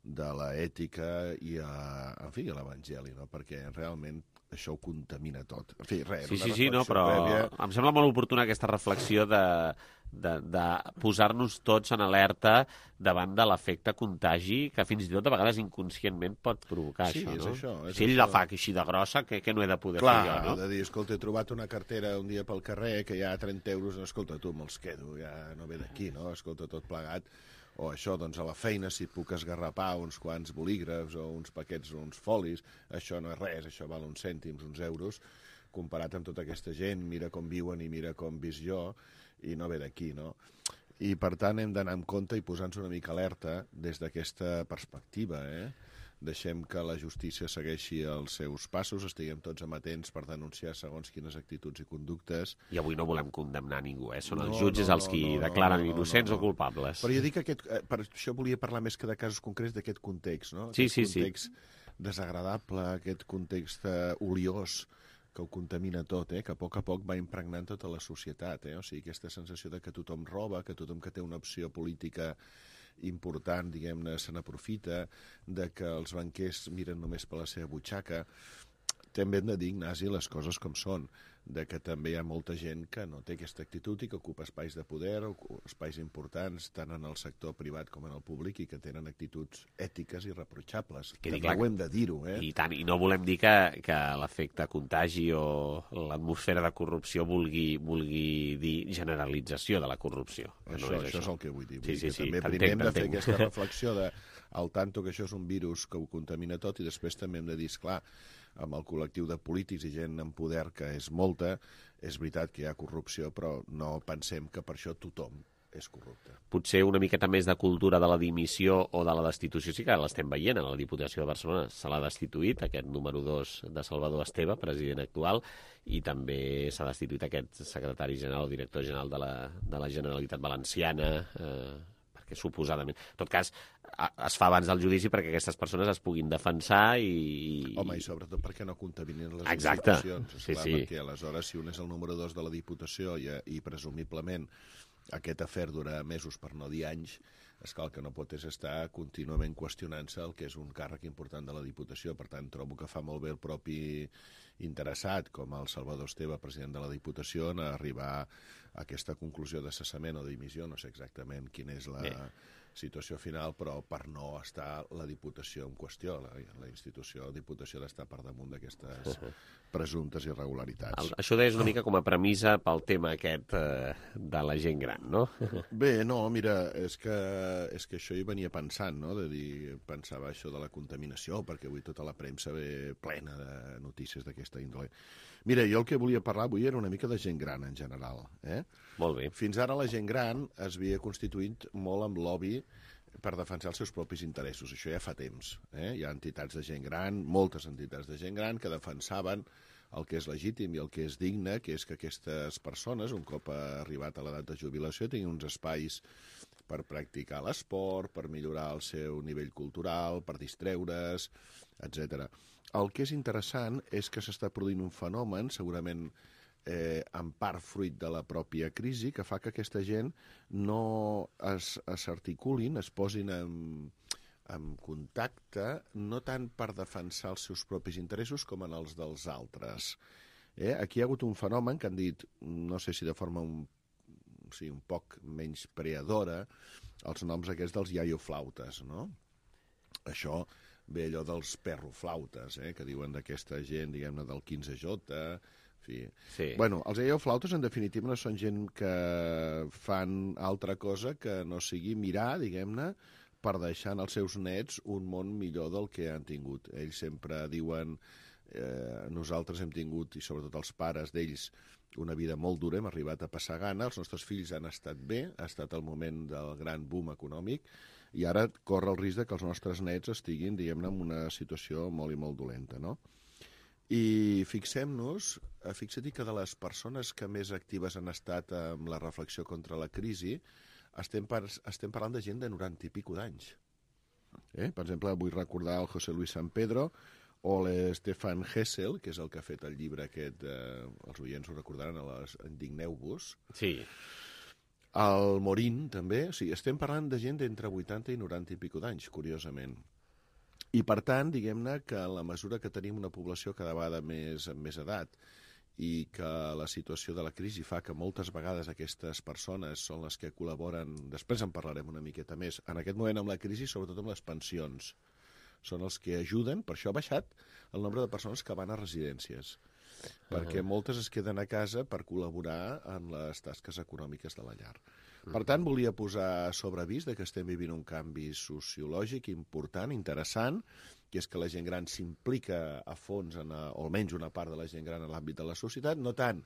de l'ètica i en fi, a l'Evangeli, no? Perquè realment això ho contamina tot. En fi, res, Sí, no, però em sembla molt oportuna aquesta reflexió de posar-nos tots en alerta davant de l'efecte contagi que fins i tot a vegades inconscientment pot provocar això, no? Això, si ell la fa així de grossa, que no he de poder fer jo, no? De dir, escolta, he trobat una cartera un dia pel carrer que hi ha 30 euros, escolta, tu me'ls quedo, ja no ve d'aquí, no? Escolta, tot plegat. O això, doncs, a la feina, si et puc esgarrapar uns quants bolígrafs o uns paquets o uns folis, això no és res, això val uns cèntims, uns euros, comparat amb tota aquesta gent, mira com viuen i mira com visc jo, i no ve d'aquí, no? I, per tant, hem d'anar amb compte i posar-nos una mica alerta des d'aquesta perspectiva, Deixem que la justícia segueixi els seus passos, estiguem tots amatents per denunciar segons quines actituds i conductes. I avui no volem condemnar ningú, Són els jutges els qui declaren innocents o culpables. Però jo dic que per això volia parlar més que de casos concrets d'aquest context, no? Sí. Aquest context desagradable, aquest context oliós que ho contamina tot, que a poc va impregnant tota la societat, O sigui, aquesta sensació de que tothom roba, que tothom que té una opció política important, diguem-ne, se n'aprofita, de que els banquers miren només per la seva butxaca. També hem de dir, Ignasi, les coses com són, de que també hi ha molta gent que no té aquesta actitud i que ocupa espais de poder o espais importants tant en el sector privat com en el públic i que tenen actituds ètiques irreprotxables. També ho hem de dir-ho, I tant, i no volem dir que l'efecte contagi o l'atmosfera de corrupció vulgui dir generalització de la corrupció. Això és el que vull dir. Sí, també primer hem de fer aquesta reflexió al tanto que això és un virus que ho contamina tot i després també hem de dir, esclar, amb el col·lectiu de polítics i gent en poder, que és molta, és veritat que hi ha corrupció, però no pensem que per això tothom és corrupte. Potser una miqueta més de cultura de la dimissió o de la destitució sí que l'estem veient a la Diputació de Barcelona. Se l'ha destituït, aquest número 2 de Salvador Esteve, president actual, i també s'ha destituït aquest secretari general o director general de la Generalitat Valenciana, perquè suposadament... En tot cas, es fa abans del judici perquè aquestes persones es puguin defensar i... Home, i sobretot perquè no contaminen les Exacte. institucions. Esclar, sí. Perquè aleshores, si un és el número 2 de la Diputació i presumiblement aquest afer dura mesos per no dir anys, esclar, el que no pot és estar contínuament qüestionant-se el que és un càrrec important de la Diputació. Per tant, trobo que fa molt bé el propi interessat, com el Salvador Esteve, president de la Diputació, en arribar a aquesta conclusió de cessament o dimissió. No sé exactament quina és la situació final, però per no estar la Diputació en qüestió. La institució, la Diputació, ha d'estar per damunt d'aquestes presumptes irregularitats. Això és una mica com a premissa pel tema aquest de la gent gran, no? Bé, no, mira, és que això hi venia pensant, no? Pensava això de la contaminació, perquè avui tota la premsa ve plena de notícies d'aquesta índole. Mira, jo el que volia parlar avui era una mica de gent gran en general. Molt bé. Fins ara la gent gran es havia constituït molt amb lobby per defensar els seus propis interessos. Això ja fa temps. Hi ha entitats de gent gran, moltes entitats de gent gran, que defensaven el que és legítim i el que és digne, que és que aquestes persones, un cop arribat a l'edat de jubilació, tinguin uns espais per practicar l'esport, per millorar el seu nivell cultural, per distreure's, etc. El que és interessant és que s'està produint un fenomen, segurament en part fruit de la pròpia crisi, que fa que aquesta gent no s'articulin, es posin en contacte, no tant per defensar els seus propis interessos com en els dels altres. Aquí hi ha hagut un fenomen que han dit, no sé si de forma un poc menys preadora, els noms aquests dels iaioflautes, no? Això ve allò dels perroflautes, que diuen d'aquesta gent, diguem-ne, del 15J, en fi. Sí. Bueno, els iaioflautes, en definitiva, no són gent que fan altra cosa que no sigui mirar, diguem-ne, per deixar als seus nets un món millor del que han tingut. Ells sempre diuen, nosaltres hem tingut, i sobretot els pares d'ells, una vida molt dura, hem arribat a passar gana, els nostres fills han estat bé, ha estat el moment del gran boom econòmic, i ara corre el risc que els nostres nets estiguin, diguem-ne, en una situació molt i molt dolenta, no? I fixa't que de les persones que més actives han estat amb la reflexió contra la crisi, estem parlant de gent de 90 i pico d'anys. Per exemple, vull recordar el José Luis San Pedro o l'Stefan Hessel, que és el que ha fet el llibre aquest, els oients ho recordaran, Indigneu-vos. Sí. El Morín, també. O sigui, estem parlant de gent d'entre 80 i 90 i pico d'anys, curiosament. I, per tant, diguem-ne que en la mesura que tenim una població cada vegada amb més edat i que la situació de la crisi fa que moltes vegades aquestes persones són les que col·laboren, després en parlarem una miqueta més, en aquest moment amb la crisi, sobretot amb les pensions. Són els que ajuden, per això ha baixat el nombre de persones que van a residències, perquè moltes es queden a casa per col·laborar en les tasques econòmiques de la llar. Per tant, volia posar sobre avís que estem vivint un canvi sociològic important, interessant, que és que la gent gran s'implica a fons, o almenys una part de la gent gran en l'àmbit de la societat, no tant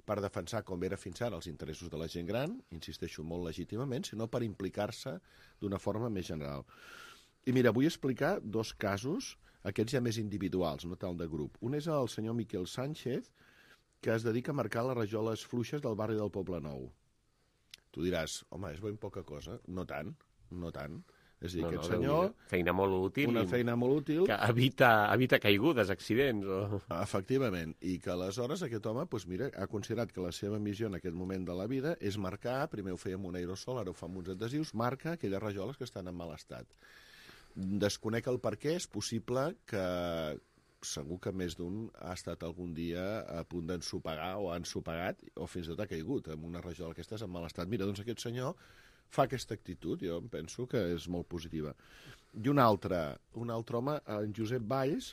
per defensar com era fins ara els interessos de la gent gran, insisteixo molt legítimament, sinó per implicar-se d'una forma més general. I mira, vull explicar dos casos, aquests ja més individuals, no tant de grup. Un és el senyor Miquel Sánchez, que es dedica a marcar les rajoles fluixes del barri del Poble Nou. Tu diràs, home, és ben poca cosa. No tant, no tant. És a dir, aquest senyor... Feina molt útil. Una feina molt útil. Que evita caigudes, accidents. Efectivament. I que aleshores aquest home, doncs mira, ha considerat que la seva missió en aquest moment de la vida és marcar, primer ho feia amb un aerosol, ara ho fa amb uns adhesius, marca aquelles rajoles que estan en mal estat. Desconec el per què, és possible que segur que més d'un ha estat algun dia a punt d'ensopegar o ha ensopegat o fins i tot ha caigut amb una rajola d'aquestes en mal estat. Mira, doncs aquest senyor fa aquesta actitud, jo em penso que és molt positiva. I un altre home, en Josep Valls,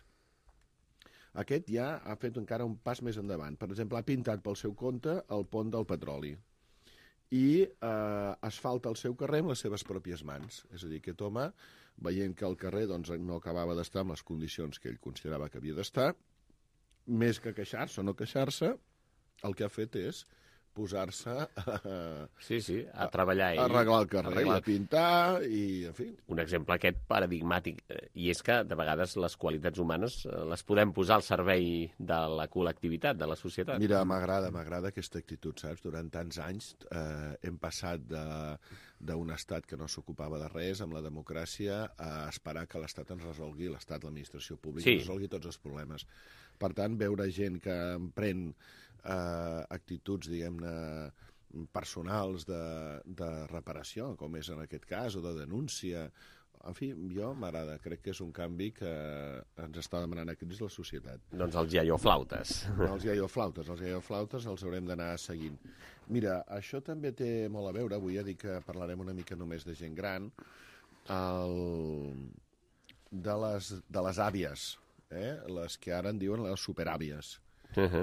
aquest ja ha fet encara un pas més endavant. Per exemple, ha pintat pel seu compte el pont del petroli i asfalta el seu carrer amb les seves pròpies mans. És a dir, aquest home, veient que el carrer no acabava d'estar en les condicions que ell considerava que havia d'estar, més que queixar-se o no queixar-se, el que ha fet és posar-se a treballar a arreglar el carrer, a pintar i, en fi. Un exemple aquest paradigmàtic, i és que de vegades les qualitats humanes les podem posar al servei de la col·lectivitat, de la societat. Mira, m'agrada aquesta actitud, saps? Durant tants anys hem passat d'un estat que no s'ocupava de res, amb la democràcia, a esperar que l'estat ens resolgui, l'estat, l'administració pública, ens resolgui tots els problemes. Per tant, veure gent que emprèn actituds, diguem-ne, personals de reparació, com és en aquest cas, o de denúncia. En fi, jo m'agrada. Crec que és un canvi que ens està demanant a crits la societat. Doncs els iaioflautes. Els iaioflautes els haurem d'anar seguint. Mira, això també té molt a veure, avui ja dic que parlarem una mica només de gent gran, de les àvies, les que ara en diuen les superàvies.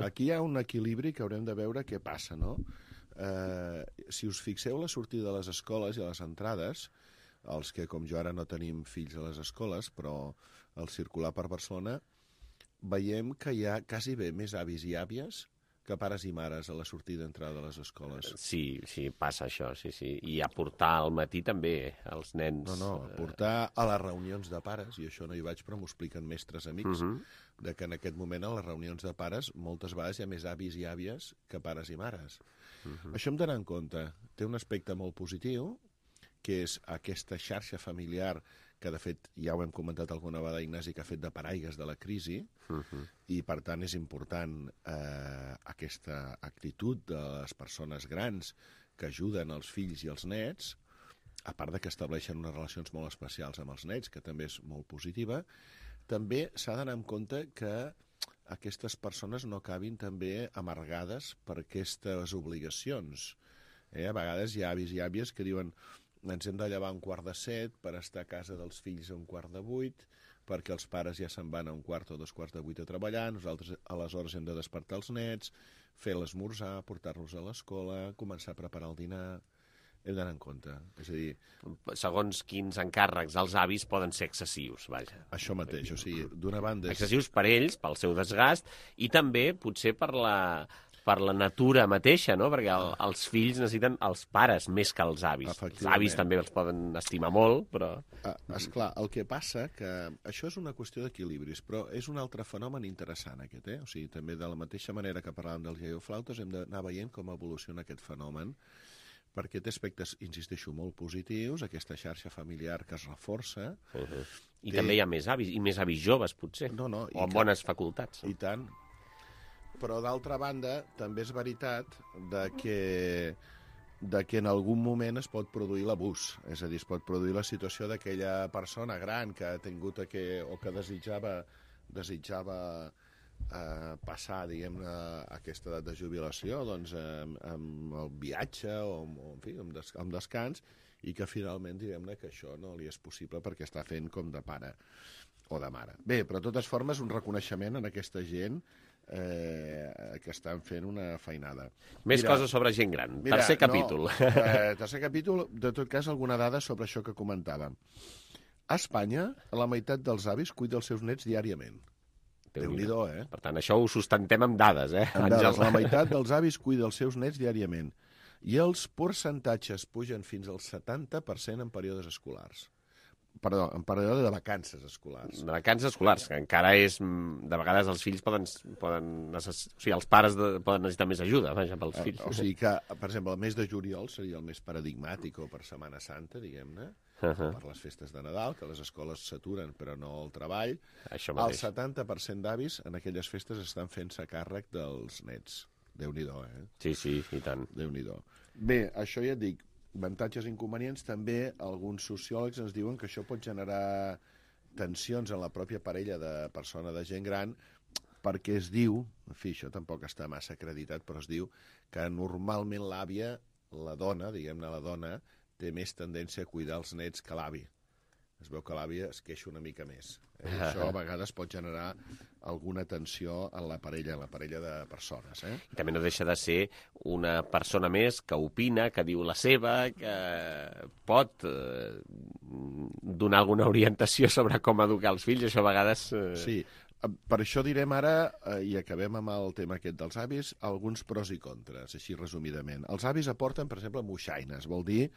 Aquí hi ha un equilibri que haurem de veure què passa, no? Si us fixeu la sortida de les escoles i a les entrades, els que, com jo, ara no tenim fills a les escoles, però al circular per Barcelona, veiem que hi ha quasi bé més avis i àvies que pares i mares a la sortida i entrada de les escoles. Sí, passa això, sí. I a portar al matí també els nens... No, portar a les reunions de pares, i això no hi vaig, però m'ho expliquen mestres amics, de que en aquest moment a les reunions de pares moltes vegades hi ha més avis i àvies que pares i mares. Això hem d'anar en compte. Té un aspecte molt positiu, que és aquesta xarxa familiar que, de fet, ja ho hem comentat alguna vegada, Ignasi, que ha fet de paraigues de la crisi, i, per tant, és important aquesta actitud de les persones grans que ajuden els fills i els nets, a part de que estableixen unes relacions molt especials amb els nets, que també és molt positiva. També s'ha d'anar en compte que aquestes persones no acabin també amargades per aquestes obligacions. A vegades hi ha avis i àvies que diuen ens hem de llevar a 6:45 per estar a casa dels fills a 7:45, perquè els pares ja se'n van a 7:15 o 7:45 a treballar, nosaltres aleshores hem de despertar els nets, fer l'esmorzar, portar-los a l'escola, començar a preparar el dinar. Hem d'anar en compte. És a dir... Segons quins encàrrecs els avis poden ser excessius, vaja. Això mateix, o sigui, d'una banda... Excessius per ells, pel seu desgast, i també potser per la natura mateixa, no? Perquè els fills necessiten els pares més que els avis. Els avis també els poden estimar molt, però... Esclar, el que passa que això és una qüestió d'equilibris, però és un altre fenomen interessant aquest, O sigui, també de la mateixa manera que parlàvem dels iaioflautes hem d'anar veient com evoluciona aquest fenomen, perquè té aspectes, insisteixo, molt positius, aquesta xarxa familiar que es reforça. I també hi ha més avis, i més avis joves, potser, o amb bones facultats. I tant. Però, d'altra banda, també és veritat que en algun moment es pot produir l'abús. És a dir, es pot produir la situació d'aquella persona gran que ha tingut o que desitjava passar, diguem-ne, aquesta edat de jubilació amb el viatge o amb descans, i que finalment, diguem-ne, que això no li és possible perquè està fent com de pare o de mare. Bé, però de totes formes, un reconeixement en aquesta gent que estan fent una feinada. Més coses sobre gent gran. Tercer capítol. Tercer capítol, de tot cas, alguna dada sobre això que comentàvem. A Espanya, la meitat dels avis cuida els seus nets diàriament. Déu-n'hi-do, Per tant, això ho sustentem amb dades, Amb dades. La meitat dels avis cuida els seus nets diàriament. I els percentatges pugen fins al 70% en períodes escolars. Perdó, en període de vacances escolars. De vacances escolars, que encara és... De vegades els fills els pares poden necessitar més ajuda, vaja, pels fills. O sigui que, per exemple, el mes de juliol seria el més paradigmàtic, o per Setmana Santa, diguem-ne, per les festes de Nadal, que les escoles s'aturen però no el treball. El 70% d'avis en aquelles festes estan fent-se càrrec dels nets. Déu-n'hi-do, Sí, i tant. Déu-n'hi-do. Bé, això ja et dic, avantatges i inconvenients. També alguns sociòlegs ens diuen que això pot generar tensions en la pròpia parella de persona de gent gran, perquè es diu, en fi, això tampoc està massa acreditat, però es diu que normalment l'àvia, la dona, diguem-ne la dona, té més tendència a cuidar els nets que l'avi. Es veu que l'àvia es queixa una mica més. Això a vegades pot generar alguna tensió en la parella de persones. I també no deixa de ser una persona més que opina, que diu la seva, que pot donar alguna orientació sobre com educar els fills. Això a vegades... Sí, per això direm ara, i acabem amb el tema aquest dels avis, alguns pros i contres, així resumidament. Els avis aporten, per exemple, moixaines, vol dir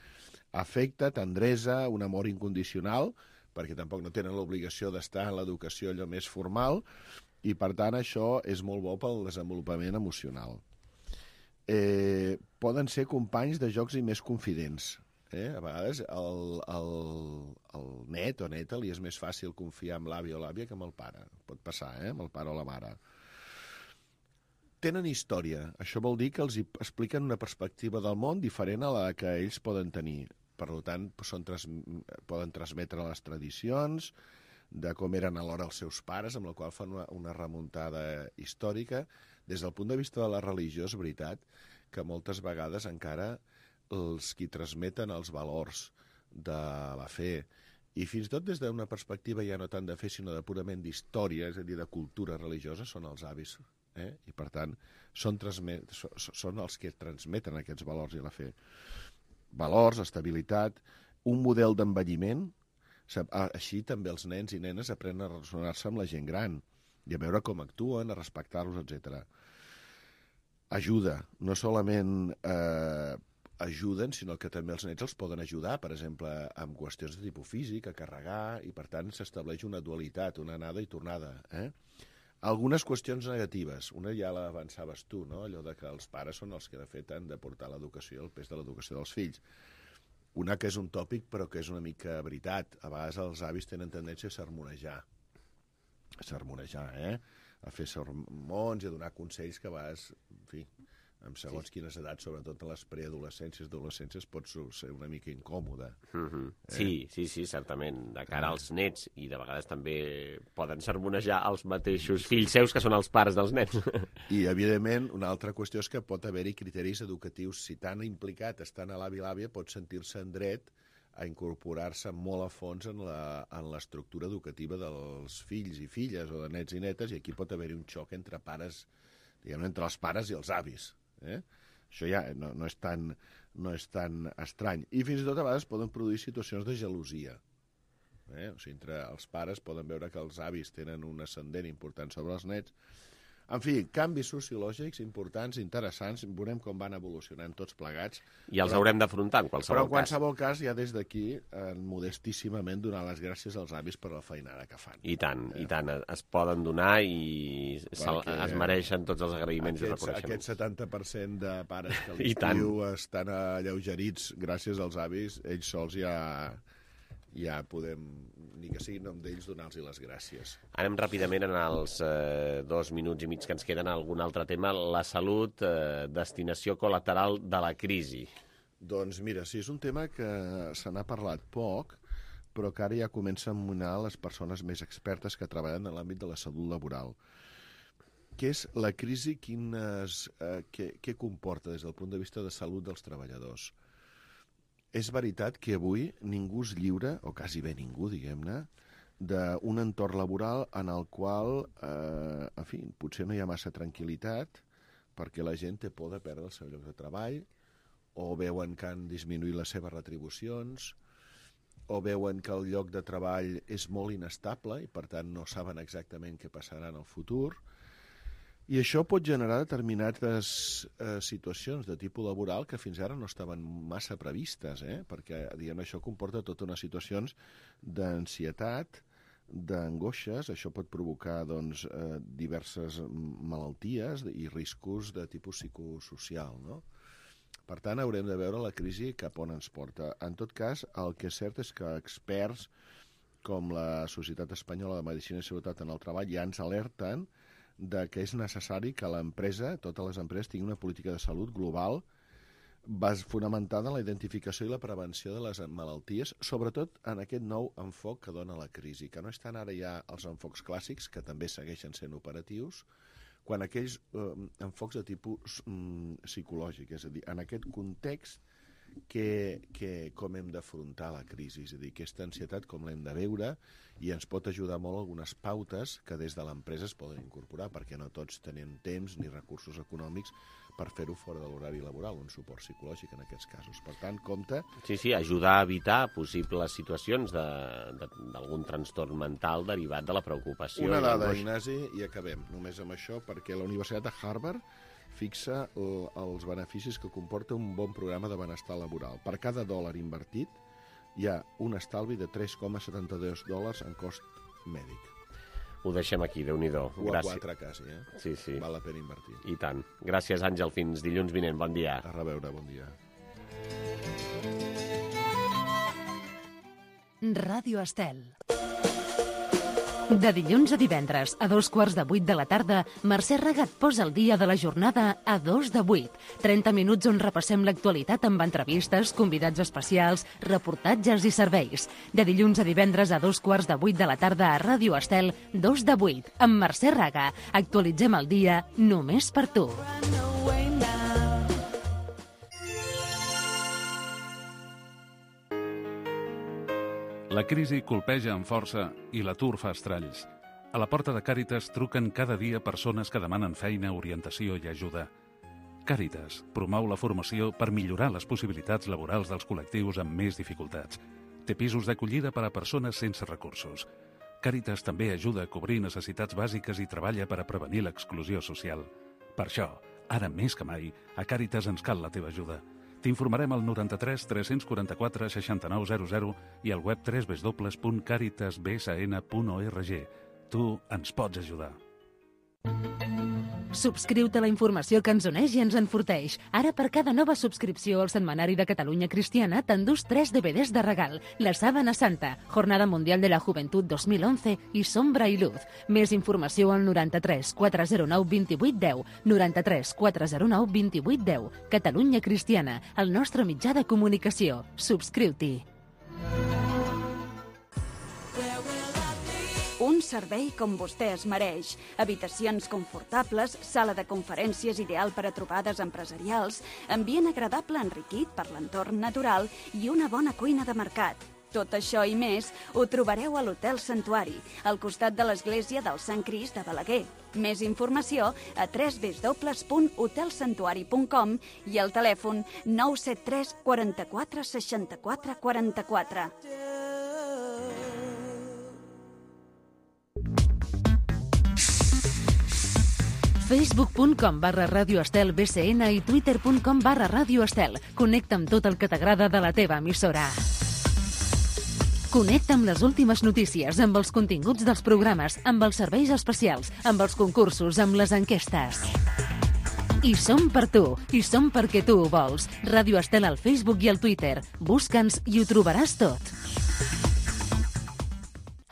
afecte, tendresa, un amor incondicional, perquè tampoc no tenen l'obligació d'estar en l'educació allò més formal, i per tant això és molt bo pel desenvolupament emocional. Poden ser companys de jocs i més confidents. A vegades el net o neta li és més fàcil confiar en l'avi o l'àvia que amb el pare. Pot passar, amb el pare o la mare. Tenen història. Això vol dir que els expliquen una perspectiva del món diferent a la que ells poden tenir. Per tant, poden transmetre les tradicions de com eren alhora els seus pares, amb la qual fan una remuntada històrica. Des del punt de vista de la religió, és veritat que moltes vegades encara els qui transmeten els valors de la fe, i fins i tot des d'una perspectiva ja no tant de fe, sinó de purament d'història, és a dir, de cultura religiosa, són els avis. I, per tant, són els que transmeten aquests valors i la fe. Valors, estabilitat, un model d'envelliment. Així també els nens i nenes aprenen a relacionar-se amb la gent gran i a veure com actuen, a respectar-los, etc. Ajuda, no solament ajuden, sinó que també els nens els poden ajudar, per exemple, amb qüestions de tipus físic, a carregar, i per tant s'estableix una dualitat, una anada i tornada. Algunes qüestions negatives, una ja l'avançaves tu, no? Allò de que els pares són els que de fet han de portar l'educació, el pes de l'educació dels fills. Una que és un tòpic però que és una mica veritat. A vegades els avis tenen tendència a sermonejar, a fer sermons i a donar consells que a vegades, en fi, amb segons quines edats, sobretot a les preadolescències, adolescències, pot ser una mica incòmode. Sí, certament, de cara als nets, i de vegades també poden sermonejar els mateixos fills seus, que són els pares dels nens. I, evidentment, una altra qüestió és que pot haver-hi criteris educatius. Si tan implicat estan a l'avi i l'àvia, pot sentir-se en dret a incorporar-se molt a fons en l'estructura educativa dels fills i filles, o de nets i netes, i aquí pot haver-hi un xoc entre pares, diguem-ne, entre els pares i els avis. Això ja no és tan estrany. I fins i tot a vegades poden produir situacions de gelosia. O sigui, entre els pares poden veure que els avis tenen un ascendent important sobre els nets. En fi, canvis sociològics importants, interessants, veurem com van evolucionant tots plegats. I els haurem d'afrontar en qualsevol cas. Però en qualsevol cas, ja des d'aquí, modestíssimament, donar les gràcies als avis per la feinada que fan. I tant, es poden donar i es mereixen tots els agraïments i reconeixements. Aquest 70% de pares que l'estiu estan alleugerits gràcies als avis, ells sols ja podem, ni que sigui nom d'ells, donar-los les gràcies. Anem ràpidament en els 2 minuts i mig que ens queden a algun altre tema. La salut, destinació col·lateral de la crisi. Doncs mira, sí, és un tema que se n'ha parlat poc, però que ara ja comença a emmunar les persones més expertes que treballen en l'àmbit de la salut laboral. Què és la crisi? Què comporta des del punt de vista de salut dels treballadors? És veritat que avui ningú és lliure, o quasi bé ningú, diguem-ne, d'un entorn laboral en el qual, en fi, potser no hi ha massa tranquil·litat, perquè la gent té por de perdre el seu lloc de treball, o veuen que han disminuït les seves retribucions, o veuen que el lloc de treball és molt inestable i, per tant, no saben exactament què passarà en el futur. I això pot generar determinades situacions de tipus laboral que fins ara no estaven massa previstes, perquè diguem, això comporta tota una situacions d'ansietat, d'angoixes. Això pot provocar diverses malalties i riscos de tipus psicosocial, no? Per tant, haurem de veure la crisi cap on ens porta. En tot cas, el que és cert és que experts com la Societat Espanyola de Medicina i Seguretat en el Treball ja ens alerten que és necessari que l'empresa, totes les empreses, tinguin una política de salut global fonamentada en la identificació i la prevenció de les malalties, sobretot en aquest nou enfoc que dona la crisi, que no estan ara ja els enfocs clàssics, que també segueixen sent operatius, quan aquells enfocs de tipus psicològic, és a dir, en aquest context com hem d'afrontar la crisi, és a dir, aquesta ansietat com l'hem de veure, i ens pot ajudar molt algunes pautes que des de l'empresa es poden incorporar, perquè no tots tenen temps ni recursos econòmics per fer-ho fora de l'horari laboral, un suport psicològic en aquests casos. Per tant, compte... Sí, ajudar a evitar possibles situacions d'algun trastorn mental derivat de la preocupació. Una dada, Ignasi, i acabem només amb això, perquè la Universitat de Harvard fixa els beneficis que comporta un bon programa de benestar laboral. Per cada dòlar invertit hi ha un estalvi de $3,72 en cost mèdic. Ho deixem aquí, Déu-n'hi-do. O a 4 quasi, eh? Sí. Val la pena invertir. I tant. Gràcies, Àngel. Fins dilluns vinent. Bon dia. A reveure, bon dia. Ràdio Estel. De dilluns a divendres, a 7:45 de la tarda, Mercè Regat posa el dia de la jornada a 7:45. 30 minuts on repassem l'actualitat amb entrevistes, convidats especials, reportatges i serveis. De dilluns a divendres a 7:15 de la tarda a Ràdio Estel, 7:45, amb Mercè Regat. Actualitzem el dia només per tu. La crisi colpeja amb força i l'atur fa estralls. A la porta de Càritas truquen cada dia persones que demanen feina, orientació i ajuda. Càritas promou la formació per millorar les possibilitats laborals dels col·lectius amb més dificultats. Té pisos d'acollida per a persones sense recursos. Càritas també ajuda a cobrir necessitats bàsiques i treballa per a prevenir l'exclusió social. Per això, ara més que mai, a Càritas ens cal la teva ajuda. T'informarem al 93 344 6900 i al web www.caritasbsn.org. Tu ens pots ajudar. Subscriu-te a la informació que ens uneix i ens enforteix. Ara, per cada nova subscripció al Setmanari de Catalunya Cristiana, t'endús 3 DVDs de regal. La Sábana Santa, Jornada Mundial de la Juventud 2011 i Sombra i Luz. Més informació al 93 409 2810, 93 409 2810. Catalunya Cristiana, el nostre mitjà de comunicació. Subscriu-t'hi. Un servei com vostè es mereix. Habitacions confortables, sala de conferències ideal per a trobades empresarials, ambient agradable enriquit per l'entorn natural i una bona cuina de mercat. Tot això i més ho trobareu a l'Hotel Santuari, al costat de l'església del Sant Crist de Balaguer. Més informació a www.hotelsantuari.com i al telèfon 973 44 64 44. Facebook.com/Ràdio Estel BCN i Twitter.com/Ràdio Estel. Connecta amb tot el que t'agrada de la teva emissora. Connecta amb les últimes notícies, amb els continguts dels programes, amb els serveis especials, amb els concursos, amb les enquestes. I som per tu, i som perquè tu ho vols. Ràdio Estel al Facebook i al Twitter. Busca'ns i ho trobaràs tot.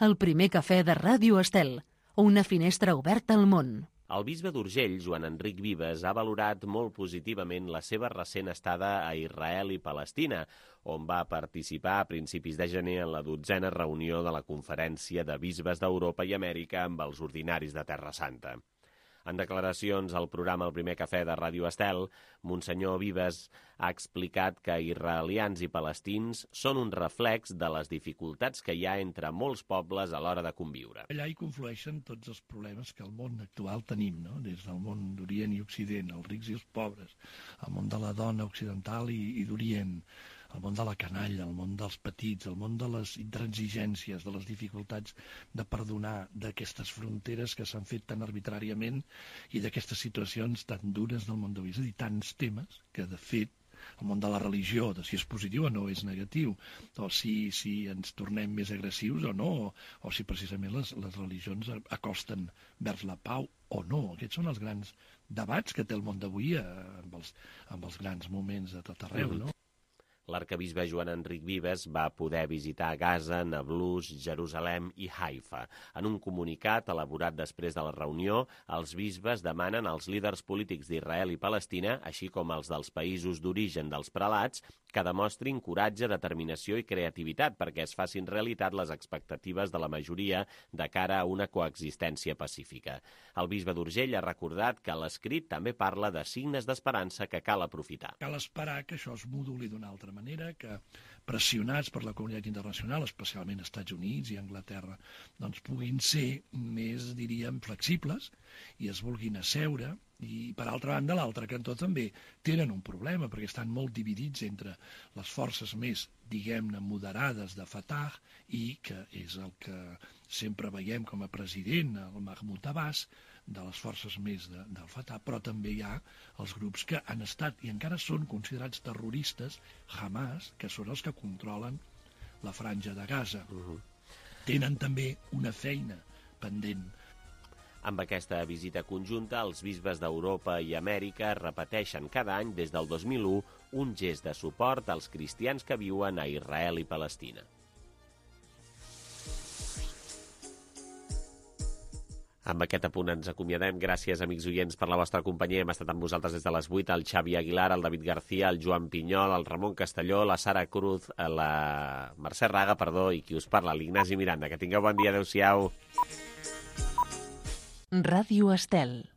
El primer cafè de Ràdio Estel. Una finestra oberta al món. El bisbe d'Urgell, Joan Enric Vives, ha valorat molt positivament la seva recent estada a Israel i Palestina, on va participar a principis de gener en la 12a reunió de la Conferència de Bisbes d'Europa i Amèrica amb els ordinaris de Terra Santa. En declaracions al programa El primer cafè de Ràdio Estel, Monsenyor Vives ha explicat que israelians i palestins són un reflex de les dificultats que hi ha entre molts pobles a l'hora de conviure. Allà hi conflueixen tots els problemes que al món actual tenim, no? Des del món d'Orient i Occident, els rics i els pobres, el món de la dona occidental i d'Orient, el món de la canalla, el món dels petits, el món de les intransigències, de les dificultats de perdonar, d'aquestes fronteres que s'han fet tan arbitràriament i d'aquestes situacions tan dures del món d'avui. És a dir, tants temes que, de fet, el món de la religió, de si és positiu o no és negatiu, o si ens tornem més agressius o no, o si precisament les religions acosten vers la pau o no. Aquests són els grans debats que té el món d'avui amb els grans moments de tot arreu, no? L'arcabisbe Joan Enric Vives va poder visitar Gaza, Nablus, Jerusalem i Haifa. En un comunicat elaborat després de la reunió, els bisbes demanen als líders polítics d'Israel i Palestina, així com els dels països d'origen dels prelats, que demostrin coratge, determinació i creativitat perquè es facin realitat les expectatives de la majoria de cara a una coexistència pacífica. El bisbe d'Urgell ha recordat que l'escrit també parla de signes d'esperança que cal aprofitar. Cal esperar que això es moduli d'una altra manera que, pressionats per la comunitat internacional, especialment Estats Units i Anglaterra, doncs puguin ser més, diríem, flexibles i es vulguin asseure. I, per altra banda, l'altre cantó també tenen un problema, perquè estan molt dividits entre les forces més, diguem-ne, moderades de Fatah i que és el que sempre veiem com a president, el Mahmoud Abbas, de les forces més del Fatah, però també hi ha els grups que han estat i encara són considerats terroristes, Hamas, que són els que controlen la franja de Gaza. Tenen també una feina pendent. Amb aquesta visita conjunta, els bisbes d'Europa i Amèrica repeteixen cada any des del 2001 un gest de suport als cristians que viuen a Israel i Palestina. Amb aquest apunt ens acomiadem. Gràcies, amics oients, per la vostra companyia. Hem estat amb vosaltres des de les 8, el Xavi Aguilar, el David García, el Joan Pinyol, el Ramon Castelló, la Sara Cruz, la Mercè Raga, i qui us parla, l'Ignasi Miranda. Que tingueu bon dia. Adéu-siau. Ràdio Estel.